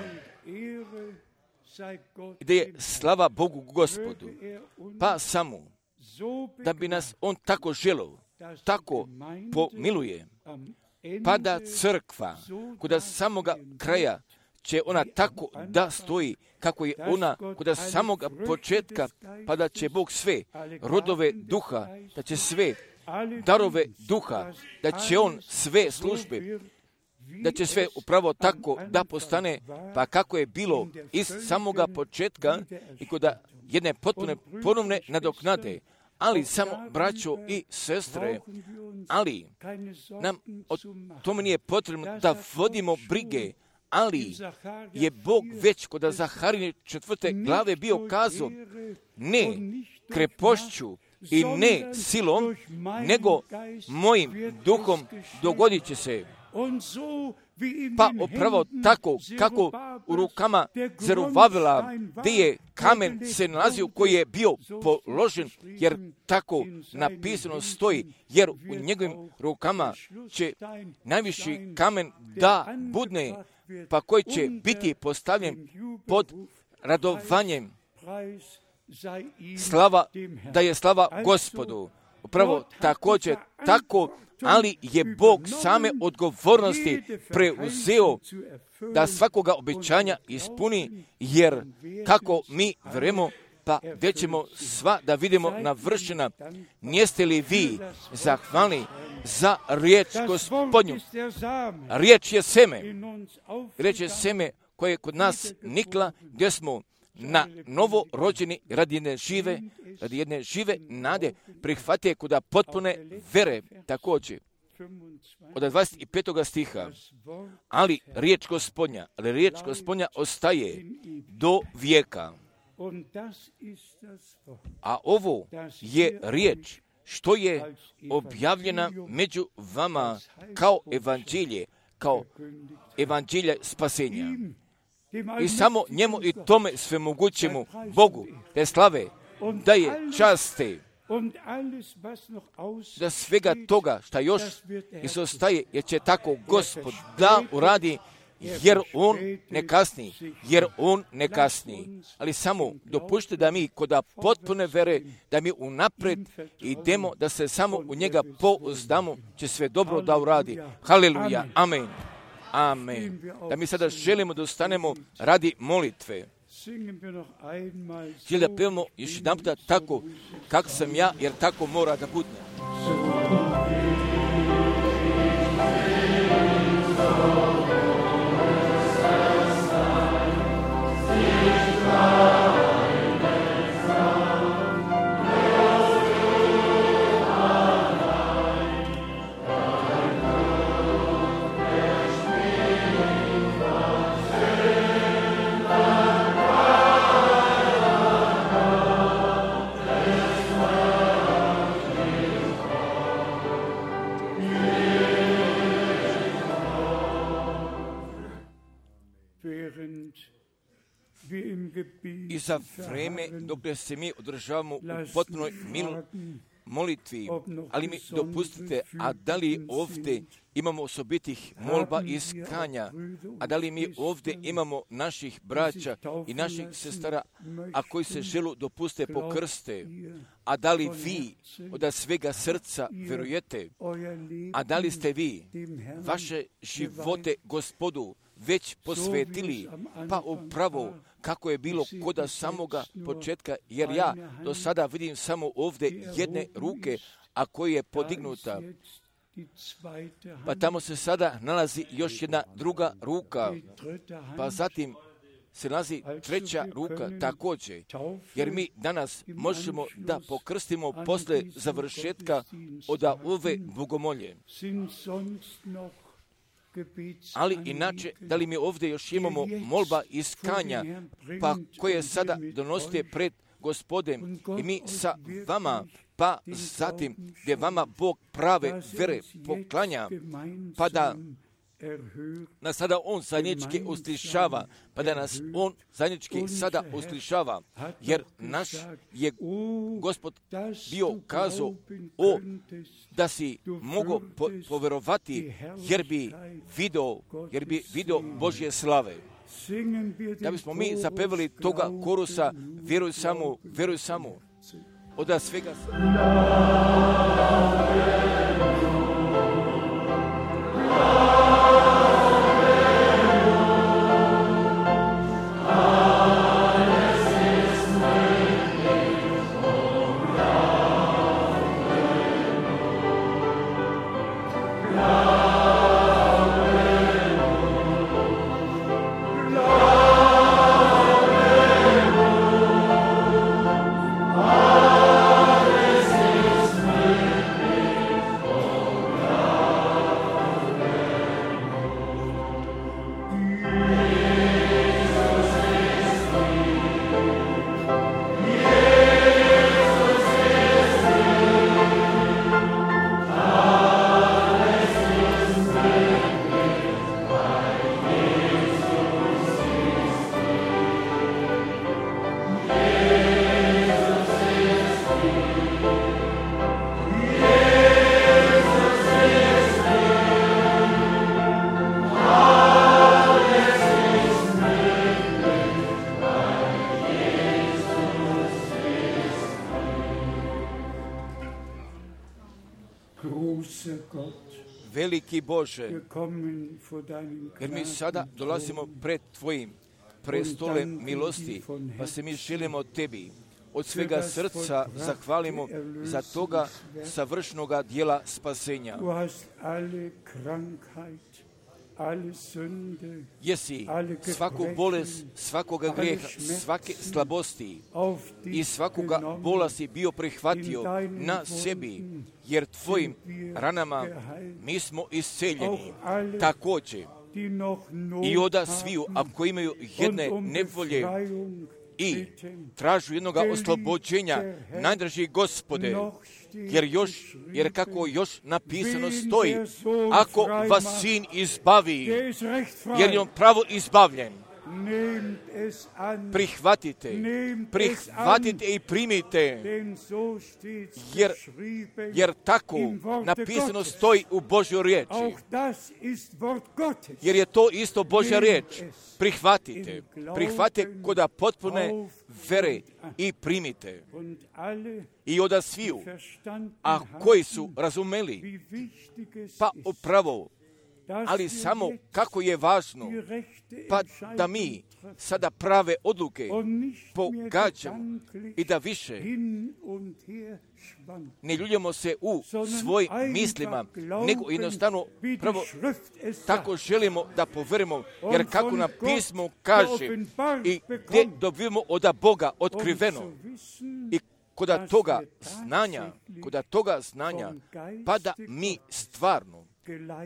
Gdje je slava Bogu Gospodu. Pa samo da bi nas On tako želio, tako pomiluje, pa da crkva kod samoga kraja će ona tako da stoji kako je ona kod samoga početka, pa da će Bog sve rodove duha, da će sve darove duha, da će On sve službe, da će sve upravo tako da postane, pa kako je bilo iz samoga početka i kod jedne potpune ponovne nadoknade. Ali samo, braćo i sestre, ali nam o tome nije potrebno da vodimo brige, ali je Bog već kod Zaharine 4. glave bio kazao, ne krepošću i ne silom, nego mojim duhom dogodit će se. Pa upravo tako kako u rukama Zerubabela gdje je kamen se nalazio koji je bio položen, jer tako napisano stoji, jer u njegovim rukama će najviši kamen da budne, pa koji će biti postavljen pod radovanjem. Da je slava Gospodu. Upravo također tako, ali je Bog same odgovornosti preuzeo da svakoga obećanja ispuni, jer kako mi vjerujemo, pa već ćemo sva da vidimo navršena. Nijeste li vi zahvalni za riječ Gospodnju? Riječ je seme. Riječ je seme koje je kod nas nikla, gdje smo na novo rođeni radi jedne žive nade prihvatije kuda potpune vere također. Od 25. stiha. Ali riječ Gospodnja ostaje do vijeka. A ovo je riječ što je objavljena među vama kao evanđelje spasenja. I samo njemu i tome svemogućemu Bogu te slave, da je časte, da svega toga šta još izostaje, jer će tako Gospod da uradi, jer on ne kasni. Ali samo dopušte da mi kod potpune vere, da mi unapred idemo, da se samo u njega pouzdamo, će sve dobro da uradi. Haleluja, amen. Amen. Da mi sada želimo da ustanemo radi molitve. Želim da pevamo još jedan puta tako kako sam ja, jer tako mora da bude. I za vreme dok se mi održavamo u potpunoj molitvi, ali mi dopustite, a da li ovdje imamo osobitih molba i iskanja, a da li mi ovdje imamo naših braća i naših sestara, a koji se želu dopuste pokrste, a da li vi od svega srca vjerujete, a da li ste vi vaše živote Gospodu već posvetili, pa upravo kako je bilo kod samoga početka, jer ja do sada vidim samo ovdje jedne ruke, a koja je podignuta. Pa tamo se sada nalazi još jedna druga ruka, pa zatim se nalazi treća ruka također, jer mi danas možemo da pokrstimo posle završetka od ove bogomolje. Ali inače, da li mi ovdje još imamo molba iskanja, pa koje sada donosite pred Gospodem i mi sa vama, pa zatim gdje vama Bog prave vere poklanja, pa da nas sada On zajednički uslišava, pa da nas On zajednički sada uslišava, jer naš je Gospod bio kazao, da si mogao poverovati, jer bi video Božje slave. Da bismo mi zapevali toga korusa, vjeruj samo, od svega veliki Bože, jer mi sada dolazimo pred Tvojim prestolem milosti, pa se mi želimo Tebi od svega srca zahvalimo za toga savršnoga dijela spasenja. Jesi svaku bolest, svakoga grijeha, svake slabosti i svakoga bola si bio prihvatio na sebi, jer Tvojim ranama mi smo isceljeni. Također i oda sviju, ako imaju jedne nevolje i tražu jednoga oslobođenja, najdraži Gospode, jer kako još napisano stoji, ako vas Sin izbavi, jer je on pravo izbavljen, prihvatite i primite, jer tako napisano stoji u Božjoj riječi, jer je to isto Božja riječ. Prihvatite koda potpune vere i primite. I oda sviju, a koji su razumeli, pa upravo, ali samo kako je važno, pa da mi sada prave odluke pogađamo i da više ne ljuljamo se u svojim mislima, nego jednostavno prvo tako želimo da poverimo, jer kako nam pismo kaže i gdje dobijemo od Boga otkriveno i koda toga znanja, pa da mi stvarno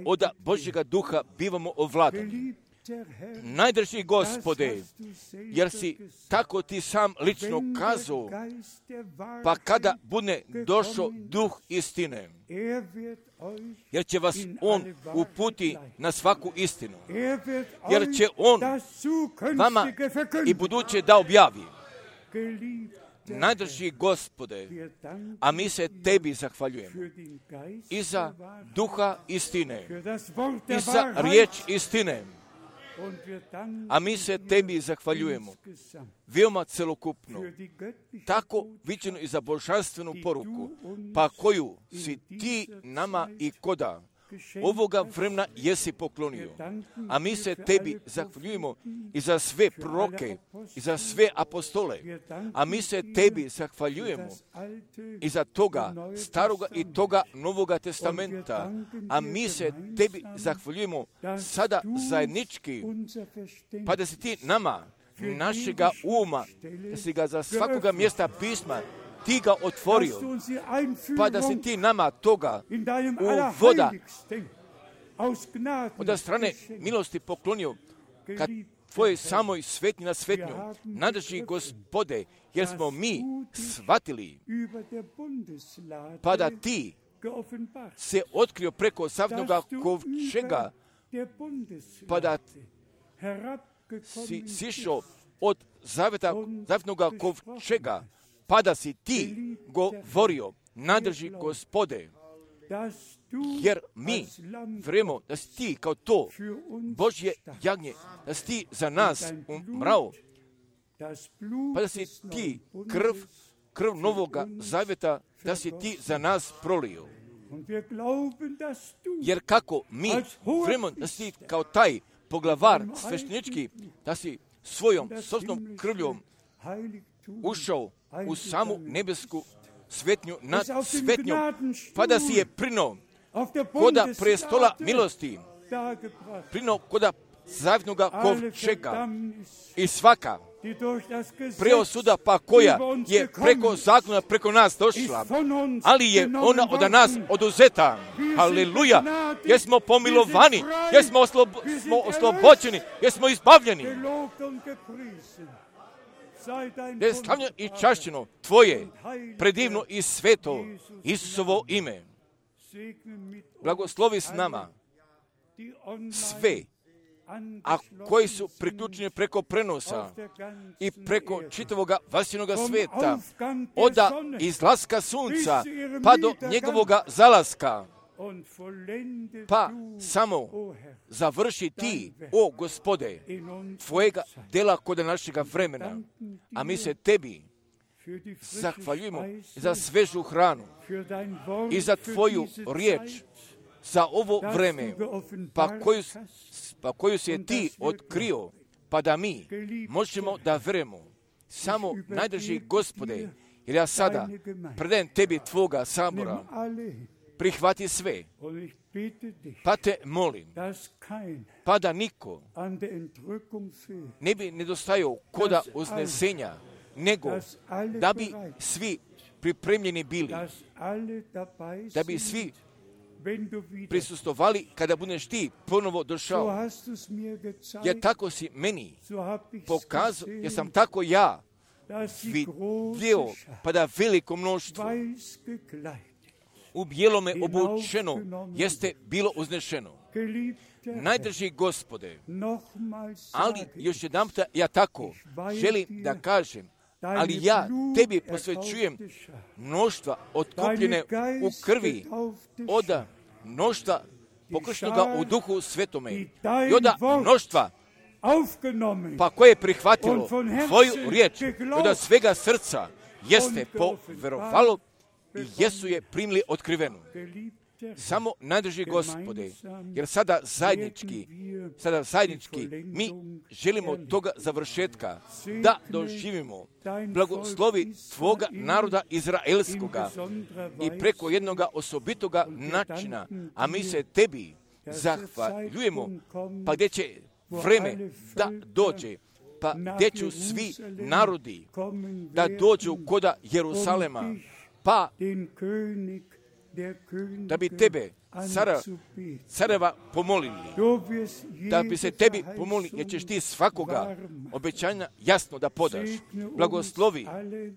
od Božjega duha bivamo ovladani. Najdraži Gospode, jer si tako ti sam lično kazao, pa kada bude došao duh istine, jer će vas on uputi na svaku istinu, jer će on vama i buduće da objavi. Najdraži Gospode, a mi se Tebi zahvaljujemo i za duha istine, i za riječ istine, a mi se Tebi zahvaljujemo veoma celokupno, tako viđeno i za božanstvenu poruku, pa koju si Ti nama i koda ovoga vremena jesi poklonio. A mi se Tebi zahvaljujemo i za sve proroke, i za sve apostole. A mi se Tebi zahvaljujemo i za toga staroga i toga novoga testamenta. A mi se Tebi zahvaljujemo sada zajednički, pa da si Ti nama, našega uma, da si ga za svakoga mjesta pisma Ti ga otvorio, pa da si Ti nama toga uvoda od strane milosti poklonio, kad Tvoje samoj svetnji na svetnju, nadrži Gospode, jer smo mi shvatili, pa da Ti se otkrio preko savnoga kovčega pa da si sišao od zavetnoga kovčega, pa da si ti govorio, nadrži Gospode, jer mi vjerujemo da si ti kao to Božje jagnje, da si ti za nas umrao, pa da si ti krv novoga zaveta, da si ti za nas prolio. Jer kako mi vjerujemo da si kao taj poglavar sveštenički, da si svojom sopstvenom krvljom ušao u samu nebesku svetnju nad svetnjom, pa da si je prinuo koda prestola milosti, prinuo koda zavjetnoga kovčega i svaka preosuda pa koja je preko zakona, preko nas došla, ali je ona od nas oduzeta. Halleluja! Jer smo pomilovani, jer smo oslobođeni, jer smo izbavljeni. Da je slavljeno i čašćeno Tvoje predivno i sveto Isusovo ime. Blagoslovi s nama sve, a koji su priključeni preko prenosa i preko čitavoga vasjenoga sveta, od izlaska sunca pa do njegovoga zalaska, pa samo završi ti, o Gospode, Tvojega dela kod našega vremena, a mi se Tebi zahvaljujemo za svežu hranu i za Tvoju riječ, za ovo vreme, pa koju si je Ti otkrio, pa da mi možemo da vjerujemo. Samo najdrži Gospode, jer ja sada predajem Tebi Tvoga sabora, prihvati sve, pa te molim, pa da niko ne bi nedostajao koda uznesenja, nego da bi svi pripremljeni bili, da bi svi prisustovali kada budeš ti ponovo došao. Jer tako si meni pokazao, jer sam tako ja vidio, pa da veliko mnoštvo u bijelome obučeno jeste bilo uznešeno. Najdrži Gospode, ali još jedanputa ja tako želim da kažem, ali ja Tebi posvećujem mnoštva otkupljene u krvi, od mnoštva pokrštenoga u Duhu Svetome i od mnoštva pa koje je prihvatilo Tvoju riječ i od svega srca jeste poverovalo i jesu je primili otkrivenu. Samo najdrži Gospode, jer sada zajednički mi želimo toga završetka da doživimo. Blagoslovi Tvoga naroda Izraelskoga i preko jednoga osobitoga načina, a mi se Tebi zahvaljujemo, pa gdje će vreme da dođe, pa gdje će svi narodi da dođu koda Jerusalema, pa da bi Tebe, careva, pomolili, da bi se Tebi pomolili, jer ćeš Ti svakoga obećanja jasno da podaš.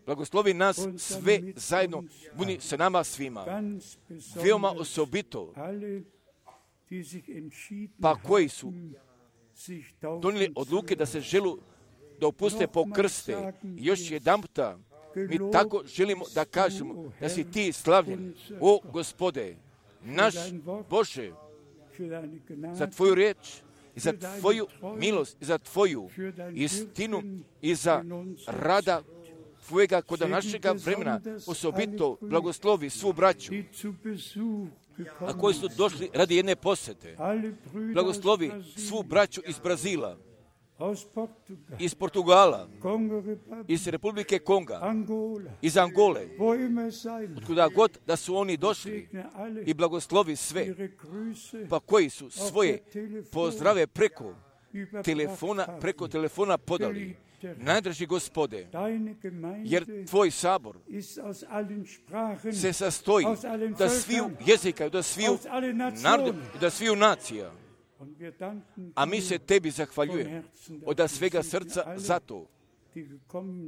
Blagoslovi nas sve zajedno, budi se nama svima, veoma osobito, pa koji su donijeli odluke da se želu da opuste po krste. I još jedanputa mi tako želimo da kažemo da si Ti slavljen, o Gospode, naš Bože, za Tvoju riječ i za Tvoju milost i za Tvoju istinu i za rada Tvojega kod našega vremena. Osobito blagoslovi svu braću, a koji su došli radi jedne posjete. Blagoslovi svu braću iz Brazila, iz Portugala, iz Republike Konga, iz Angole, otkuda god da su oni došli, i blagoslovi sve, pa koji su svoje pozdrave preko telefona podali. Najdrži Gospode, jer Tvoj sabor se sastoji da sviju jezika, da sviju naroda, da sviju nacija. A mi se Tebi zahvaljujemo od svega srca za to.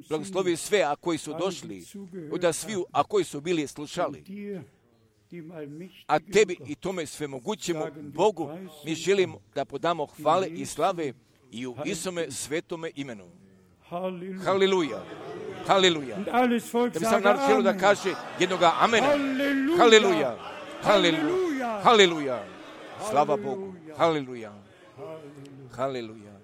Blagoslovi sve, a koji su došli, od sviju, a koji su bili slušali. a tebi i tome svemogućemu Bogu mi želimo da podamo hvale i slave i u Isome svetome imenu. Haleluja. Haleluja. Da bi sam narod želio da kaže jednoga amena. Haleluja. Haleluja. Haleluja. Slava Bogu. Haleluja. Haleluja.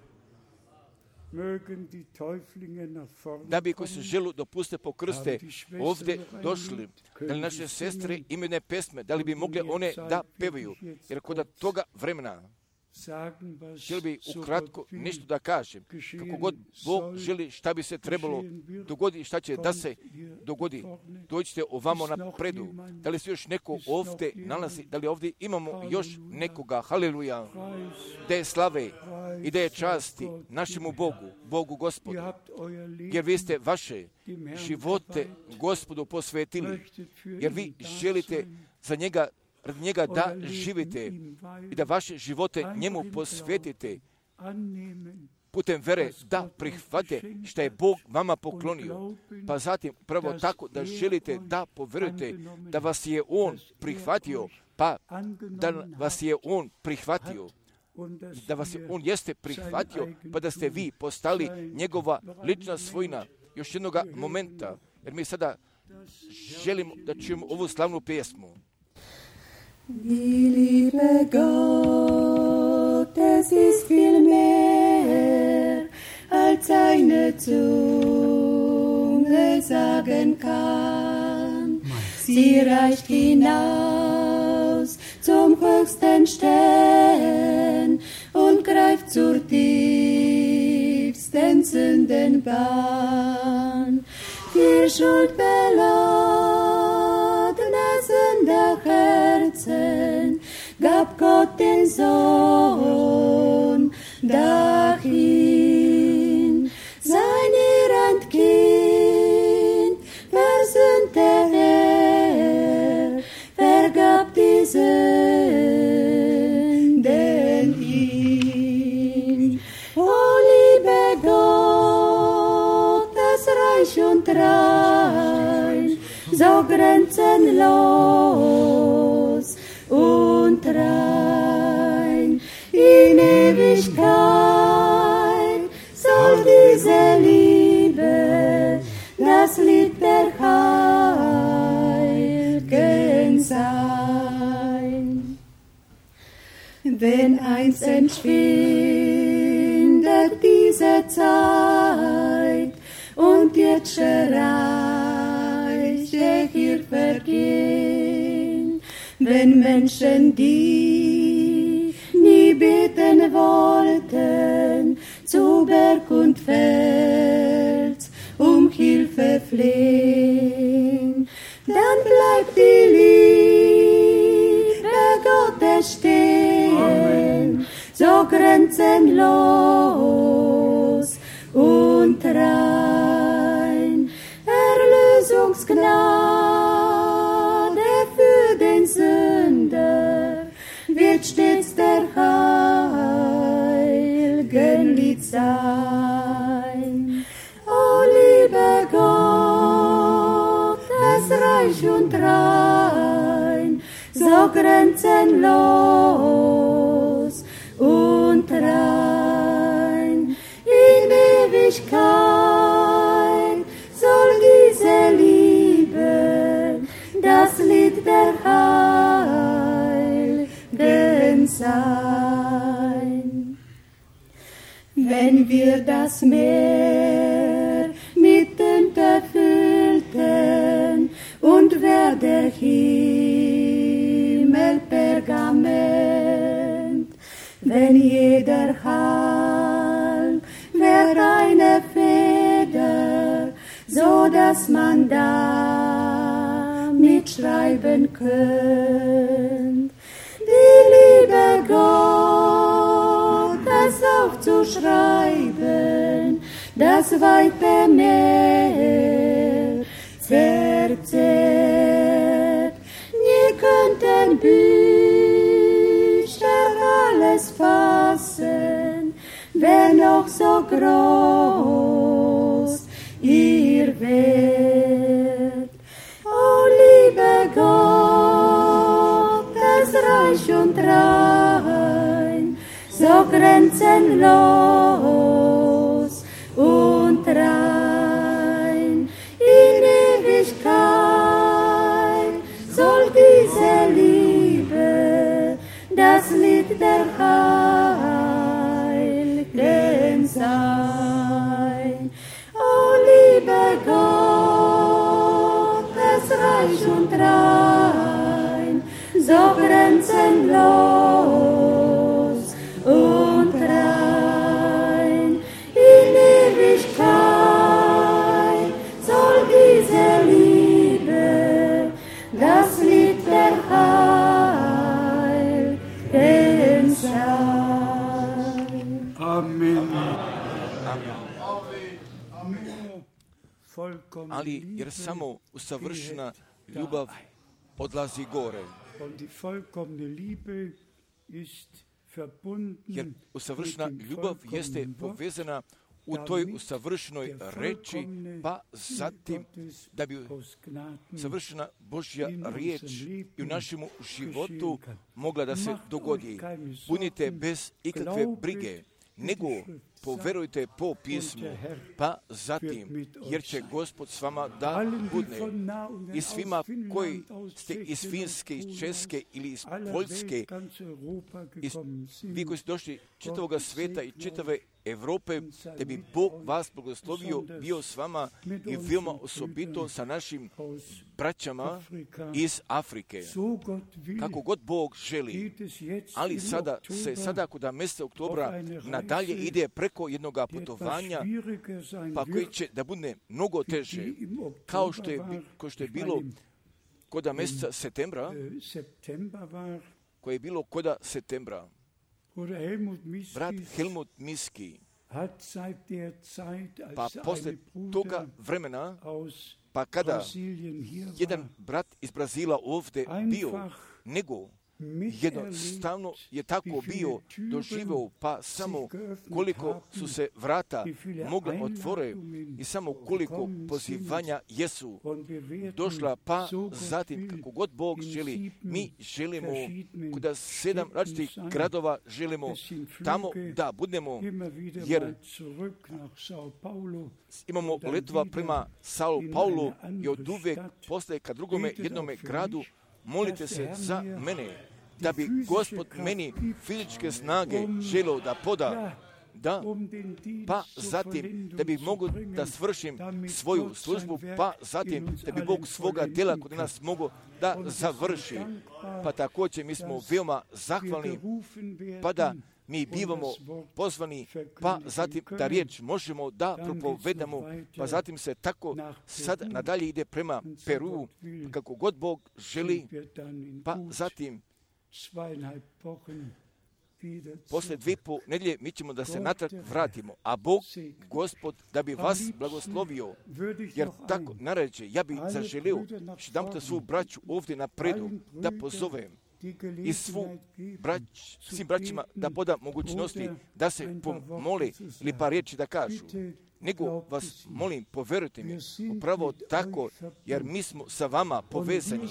Da bi koji se želu dopuste po krste ovdje došli, da li naše sestre imene pesme, da li bi mogle one da pevaju, jer kod toga vremena želi bi ukratko nešto da kažem, kako god Bog želi šta bi se trebalo dogodi, šta će da se dogodi. Dođite ovamo napredu. Da li se još neko ovdje nalazi, da li ovdje imamo još nekoga, haleluja, da je slave i da je časti našemu Bogu, Bogu Gospodu, jer vi ste vaše živote Gospodu posvetili, jer vi želite za njega, radi njega da živite i da vaše živote njemu posvetite putem vere, da prihvate što je Bog vama poklonio. Pa zatim prvo tako da želite da poverujete da vas je On prihvatio, pa da vas je On prihvatio, da vas je On jeste prihvatio, pa da ste vi postali njegova lična svojina. Još jednog momenta, jer mi sada želimo da čujemo ovu slavnu pjesmu. Die Liebe Gottes ist viel mehr, als eine Zunge sagen kann. Sie reicht hinaus zum höchsten Stern und greift zur tiefsten Sündenbahn. Die schuldbeladene Sünderherzen gab Gott den Sohn dahin. Sein irrend Kind versöhnte vergab die Sünden ihm. O liebe Gott, das Reich und rein, so grenzenlos und rein. In Ewigkeit soll diese Liebe das Lied der Heiligen sein. Wenn einst entschwindet diese Zeit und irdische Reiche hier vergehen, wenn Menschen, die nie beten wollten, zu Berg und Fels Hilfe flehen, dann bleibt die Liebe Gottes stehen, so grenzenlos und rein. Erlösungsgnade für den Sünder wird stets der heiligen Lied sein. O liebe Gott, das Reich und rein, so grenzenlos und rein. In Ewigkeit soll diese Liebe das Lied der Heiligen sein. Wenn wir das Meer mit Tinte füllten und wär der Himmel Pergament, wenn jeder Halm wär eine Feder, so dass man da mitschreiben könnt. Die Liebe Gottes aufzuschreiben, das weite Meer verzehrt. Nie könnten Bücher alles fassen, wenn auch so groß ihr Wert. O liebe Gott, rein, so grenzenlos und rein. In Ewigkeit soll diese Liebe das Lied der Heiligen sein. O liebe Gott, es reich und rein, so grenzenlos und rein. In Ewigkeit soll diese Liebe das Lied der Heiligen sein. Amen. Ali jer samo usavršena ljubav odlazi gore. Jer usavršena ljubav jeste povezana u toj usavršenoj reči, pa zatim da bi savršena Božja riječ i u našemu životu mogla da se dogodi. Budite bez ikakve brige, nego poverujte po pismu, pa zatim, jer će Gospod s vama da budne. I svima koji ste iz Finske, iz Česke ili iz Poljske, vi koji ste došli čitavoga sveta i čitave Evrope, da bi Bog vas blagoslovio, bio s vama i veoma osobito sa našim braćama iz Afrike. Kako god Bog želi, ali sada kod mjeseca oktobra nadalje ide preko jednog putovanja, pa koji će da bude mnogo teže, kao što je bilo kod mjeseca septembra, koje je bilo kod septembra. Brat Helmut Miski, pa posle toga vremena, pa kada jedan brat iz Brazila ovdje bio, nego jednostavno je tako bio doživeo, pa samo koliko su se vrata mogla otvore i samo koliko pozivanja jesu došla, pa zatim kako god Bog želi, mi želimo kod 7 različitih gradova želimo tamo da budemo, jer imamo letova prema Sao Paulu i od uvek postaje ka drugome jednome gradu. Molite se za mene, da bi Gospod meni fizičke snage želeo da poda, pa zatim da bih mogao da svršim svoju službu, pa zatim da bi Bog svoga djela kod nas mogao da završi. Pa također mi smo veoma zahvalni, pa da mi bivamo pozvani, pa zatim da riječ možemo da propovedamo, pa zatim se tako sad nadalje ide prema Peru, kako god Bog želi, pa zatim posle 2,5 nedelje mi ćemo da se natrag vratimo, a Bog, Gospod, da bi vas blagoslovio, jer tako naređe, ja bi zaželio jedanputa svu braću ovdje na predu da pozovem i svim braćima da poda mogućnosti da se pomole ili pa riječi da kažu. Nego vas molim, poverujte mi, upravo tako, jer mi smo sa vama povezani,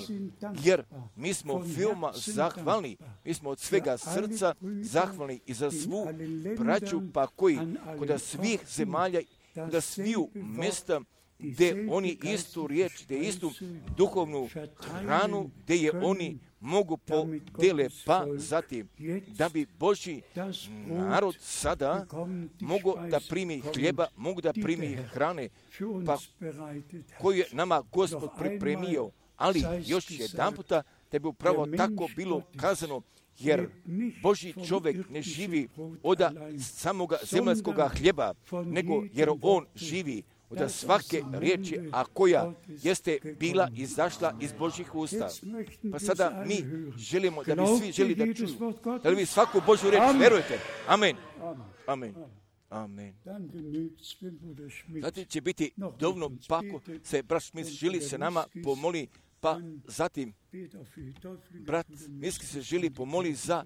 jer mi smo veoma zahvalni, mi smo od svega srca zahvalni i za svu braću, pa koji kod svih zemalja, kod sviju mjesta, gdje oni istu riječ, gdje istu duhovnu hranu, gdje je oni mogu podele, pa zatim da bi Božji narod sada mogu da primi hljeba, mogu da primi hrane, pa koju je nama Gospod pripremio, ali još jedan puta da bi upravo tako bilo kazano, jer Božji čovjek ne živi od samoga zemaljskoga hljeba, nego jer on živi od svake riječi, a koja jeste bila izašla iz Božjih usta. Pa sada mi želimo da bi svi želi da čuju. Da li vi svaku Božju riječ verujete? Amen. Amen. Amen. Zatim će biti dovoljno, pa ako se brat Šmit želi se nama pomoli, pa zatim Brat Miski se želi pomoli za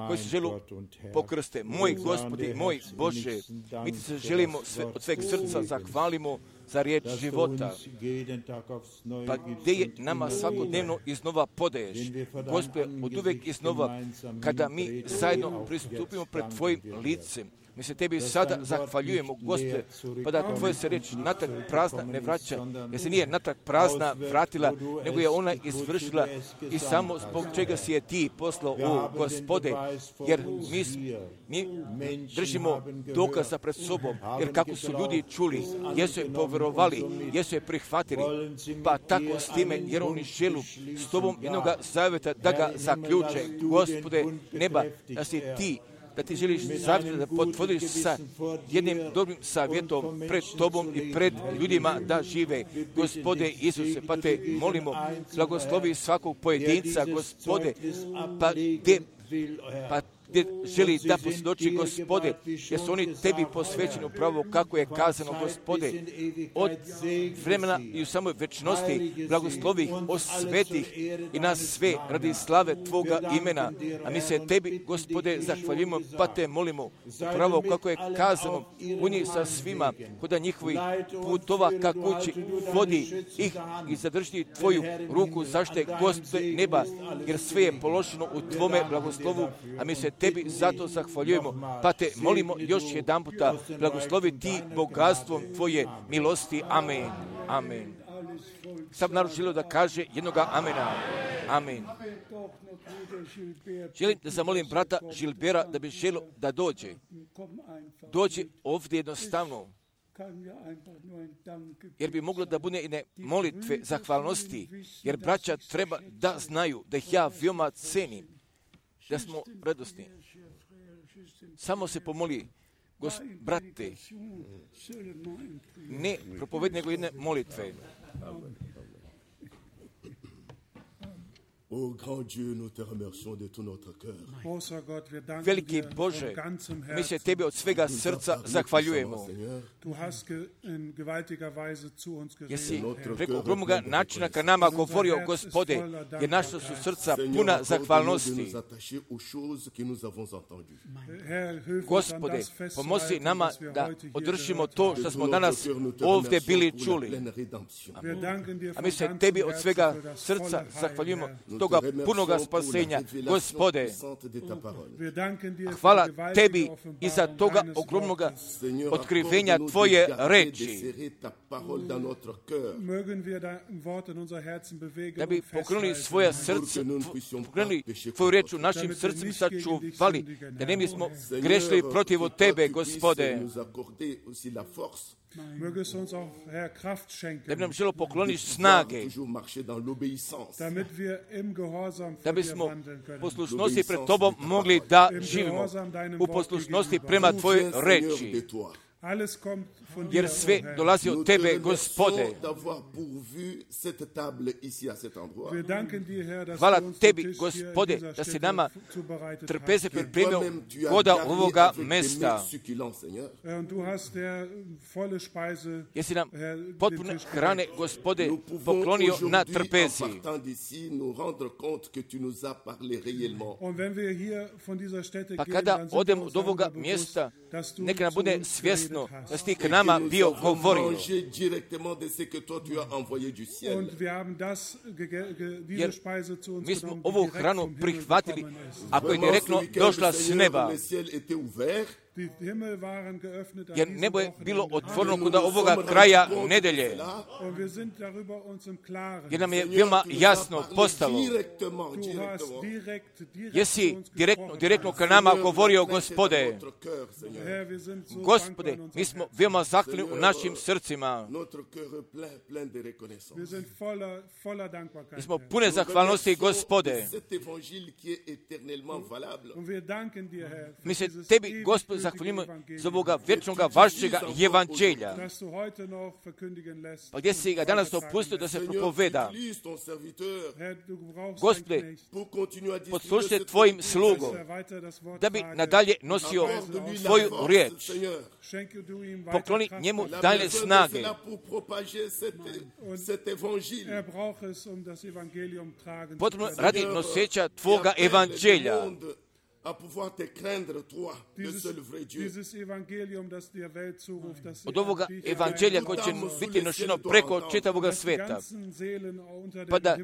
koji se želi pokrste. Moj Gospodi, moj Bože, mi ti se želimo od sveg srca zahvalimo za riječ života. Pa gdje je nama svakodnevno iznova podaješ. Gospode, od uvijek iznova, kada mi zajedno pristupimo pred Tvojim licem, mi se Tebi sada zahvaljujemo, Gospode, pa da Tvoja se riječ natrag prazna ne vraća, jer se nije natrag prazna vratila, nego je ona izvršila i samo zbog čega si je Ti poslao, o Gospode, jer mi držimo dokaza pred sobom, jer kako su ljudi čuli, jesu je povjerovali, jesu je prihvatili, pa tako s time, jer oni želu s Tobom jednoga zavjeta da ga zaključe, Gospode neba, da si Ti, da ti želiš zavjeti da potvrdiš sa jednim dobrim savjetom pred Tobom i pred ljudima da žive. Gospode Isuse, pa te molimo, blagoslovi svakog pojedinca, Gospode, pa gdje želi da posvjedoči, Gospode, jer su oni Tebi posvećeni upravo kako je kazano, Gospode, od vremena i u samoj večnosti blagoslovi osvetih i nas sve radi slave Tvoga imena. A mi se Tebi, Gospode, zahvaljujemo, pa te molimo upravo kako je kazano u njih sa svima, koda njihovi putova ka kući vodi ih i zadrži Tvoju ruku zašte, Gospode neba, jer sve je položeno u Tvome blagoslovu, a mi se Tebi zato zahvaljujemo, pa te molimo još jedan puta, blagoslovi Ti bogatstvom Tvoje milosti. Amen. Amen. Sam narod želio da kaže jednoga amena. Amen. Želim da zamolim brata Žilbera da bi želio da dođe. Dođi ovdje jednostavno, jer bi moglo da bude i molitve zahvalnosti, jer braća treba da znaju da ih ja veoma cenim, da smo radosni. Samo se pomoli, brate, ne propovedi nego jedne molitve. Veliki Bože, mi se Tebi od svega srca zahvaljujemo. Jesi preko ogromnoga načina ka nama govorio, Gospode, jer naša su srca puna zahvalnosti. Gospode, pomozi nama da održimo to što smo danas ovdje bili čuli. A mi se Tebi od svega srca zahvaljujemo toga punoga spasenja, Gospode. Hvala Tebi i za toga ogromnoga otkrivenja Tvoje reči. Da bi pokrenuli svoja srca, pokrenuli Tvoju reč u našim srcima, sačuvali, da ne bismo grešili protiv Tebe, Gospode. Da bi nam želo pokloniš snage, da bismo poslušnosti pred Tobom mogli da živimo u poslušnosti prema Tvojoj reči. Jer sve dolazi od Tebe, Gospode. Hvala Tebi, Gospode, da si nama trpeze pripremio koda ovoga mesta. Jer si nam potpune hrane, Gospode, poklonio na trpezi. Pa kada odemo od ovoga mjesta, neka nam bude svjesno da si Ti k nama bio govorio. Jer mi smo ovu hranu prihvatili, ako je direktno došla s neba. Jer nebo je bilo otvoreno kod ovoga kraja nedelje. Jer nam je veoma jasno postalo. Jesi direktno ka nama govorio, Gospode. Gospode, mi smo veoma zahvalni u našim srcima. Mi smo pune zahvalnosti, Gospode. Mi se Tebi, Gospode, zahvaljujemo za ovoga vječnoga vašega evanđelja. Pa gdje si ga danas opustio da se propoveda? Gospode, poslušajte tvojim slugom, da bi nadalje nosio tvoju riječ. Pokloni njemu dalje snage. Potrebno radi noseća tvoga evanđelja. Od ovoga evanđelja koje će biti nošeno preko čitavoga sveta, pa da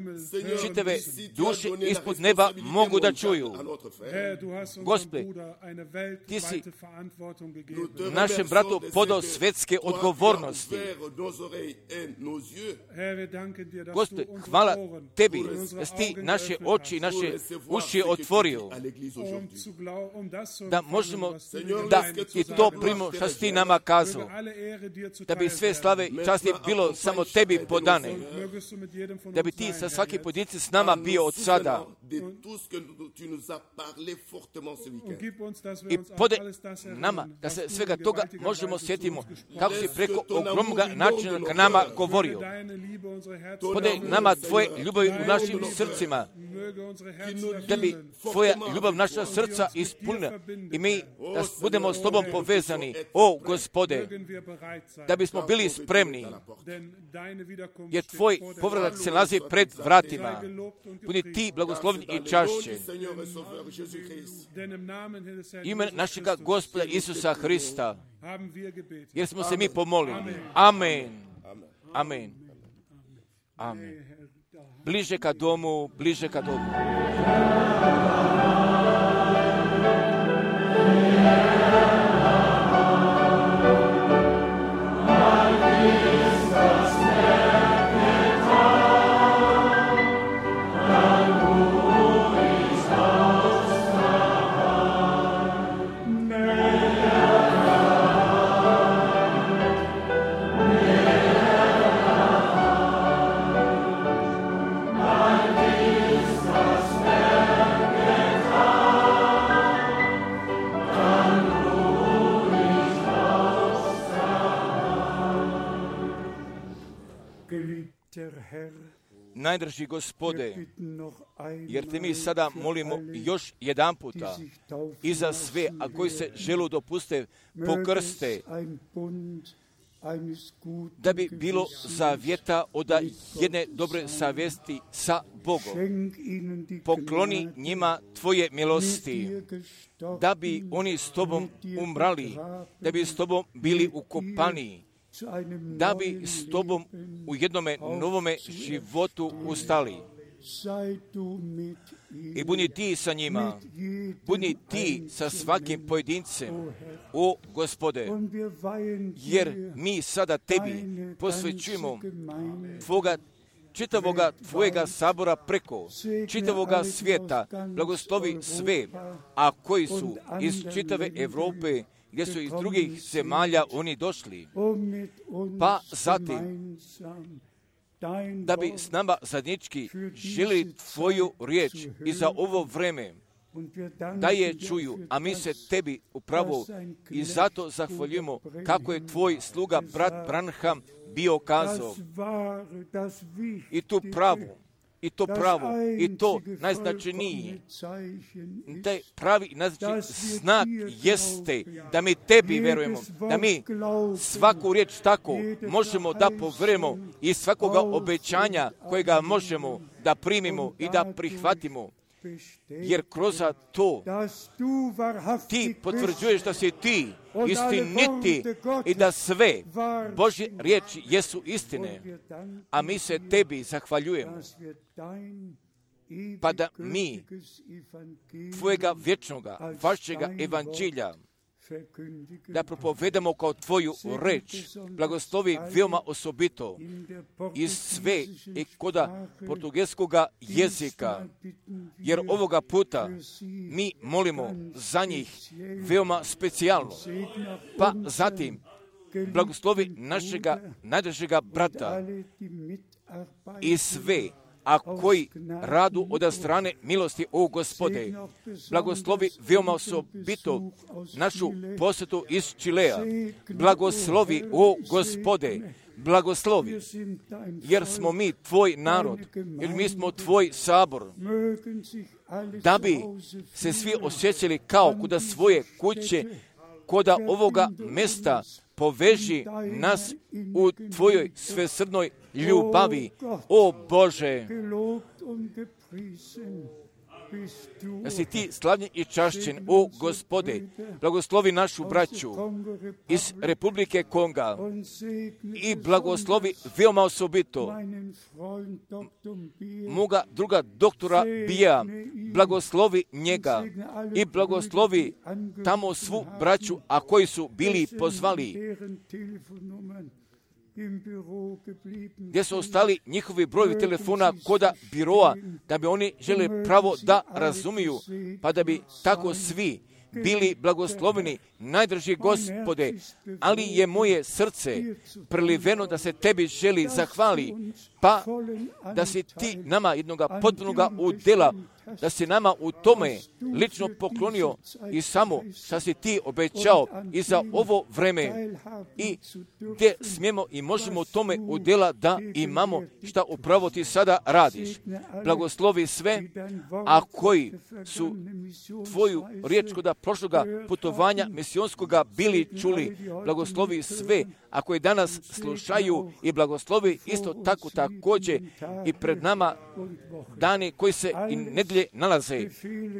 čitave duše ispod neba mogu da čuju. Gospode, ti si našem bratu podao svetske odgovornosti. Gospode, hvala tebi da si ti naše oči i naše uši otvorio, da možemo da i to primimo što si ti nama kazao, da bi sve slave i časti bilo samo tebi podane, da bi ti sa svaki pojedinci s nama bio od sada i podaj nama da se svega toga možemo sjetimo kako si preko ogromnoga načina ka nama govorio. Podaj nama tvoje ljubavi u našim srcima, da bi tvoja ljubav naša srca ispunila i mi da budemo s tobom povezani, o Gospode, da bismo bili spremni, jer tvoj povratak se nalazi pred vratima. Budi ti blagoslovljen i čašćen. Ime našega Gospoda Isusa Hrista, jer smo se mi pomolili. Amen. Amen. Amen. Bliže ka domu, bliže ka domu. Najdraži Gospode, jer te mi sada molimo još jedan puta i za sve, a koji se želu dopuste pokrste, da bi bilo zavjeta od jedne dobre savjesti sa Bogom. Pokloni njima tvoje milosti, da bi oni s tobom umrali, da bi s tobom bili ukopani, da bi s tobom u jednome novome životu ustali. I budi ti sa njima, budi ti sa svakim pojedincem, o Gospode, jer mi sada tebi posvećujemo čitavoga tvojega sabora preko čitavoga svijeta, blagoslovi sve, a koji su iz čitave Europe, gdje su iz drugih zemalja oni došli, pa zatim da bi s nama zajednički žili tvoju riječ i za ovo vreme da je čuju, a mi se tebi upravo i zato zahvaljujemo kako je tvoj sluga brat Branham bio kazao. I to pravo, i to najznačajnije. Taj pravi znak jeste da mi tebi verujemo, da mi svaku riječ tako možemo da poverujemo i svakoga obećanja kojega možemo da primimo i da prihvatimo. Jer kroz to ti potvrđuješ da si ti istiniti i da sve Božje riječi jesu istine, a mi se tebi zahvaljujemo, pa da mi tvojega vječnoga, vašega evanđelja da propovedamo kao tvoju reč, blagoslovi veoma osobito iz sve i koda portugelskoga jezika, jer ovoga puta mi molimo za njih veoma specijalno. Pa zatim blagoslovi našega najdražega brata i sve, a koji radu od strane milosti, o Gospode. Blagoslovi veoma osobito našu posjetu iz Čilea. Blagoslovi, o Gospode, blagoslovi, jer smo mi tvoj narod, jer mi smo tvoj sabor, da bi se svi osjećali kao kuda svoje kuće, koda ovoga mesta poveži nas u tvojoj svesrdnoj ljubavi, o Bože. Da si ti slavljen i čašćen, o Gospode. Blagoslovi našu braću iz Republike Konga i blagoslovi veoma osobito moga druga doktora Bija, blagoslovi njega i blagoslovi tamo svu braću, a koji su bili pozvali, gdje su ostali njihovi brojevi telefona koda biroa, da bi oni žele pravo da razumiju, pa da bi tako svi bili blagosloveni, najdraži Gospode, ali je moje srce preliveno da se tebi želi zahvali, pa da si ti nama jednoga potpunoga udjela, da si nama u tome lično poklonio i samo što si ti obećao i za ovo vreme i gdje smijemo i možemo u tome udjela da imamo šta upravo ti sada radiš. Blagoslovi sve, a koji su tvoju riječ kod prošloga putovanja misionskoga bili čuli. Blagoslovi sve, a koji danas slušaju, i blagoslovi isto tako također i pred nama dani koji se i nedjelje nalaze,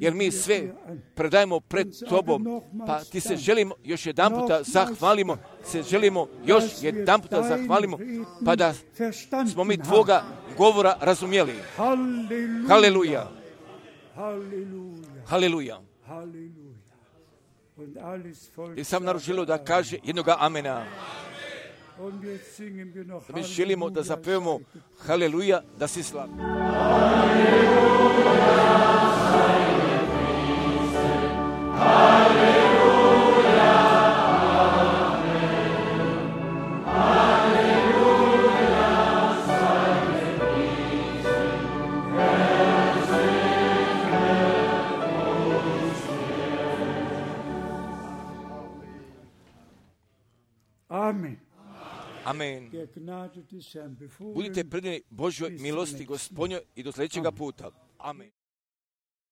jer mi sve predajemo pred tobom, pa ti se želimo još jedan puta zahvalimo, pa da smo mi tvoga govora razumjeli. Haleluja. Haleluja. I sam narod želio da kaže jednoga amena. Mi želimo da zapevamo haleluja, da si slavi. Amen. Amen. Budite predani Božjoj milosti Gospodnjoj i do sljedećega puta. Amen.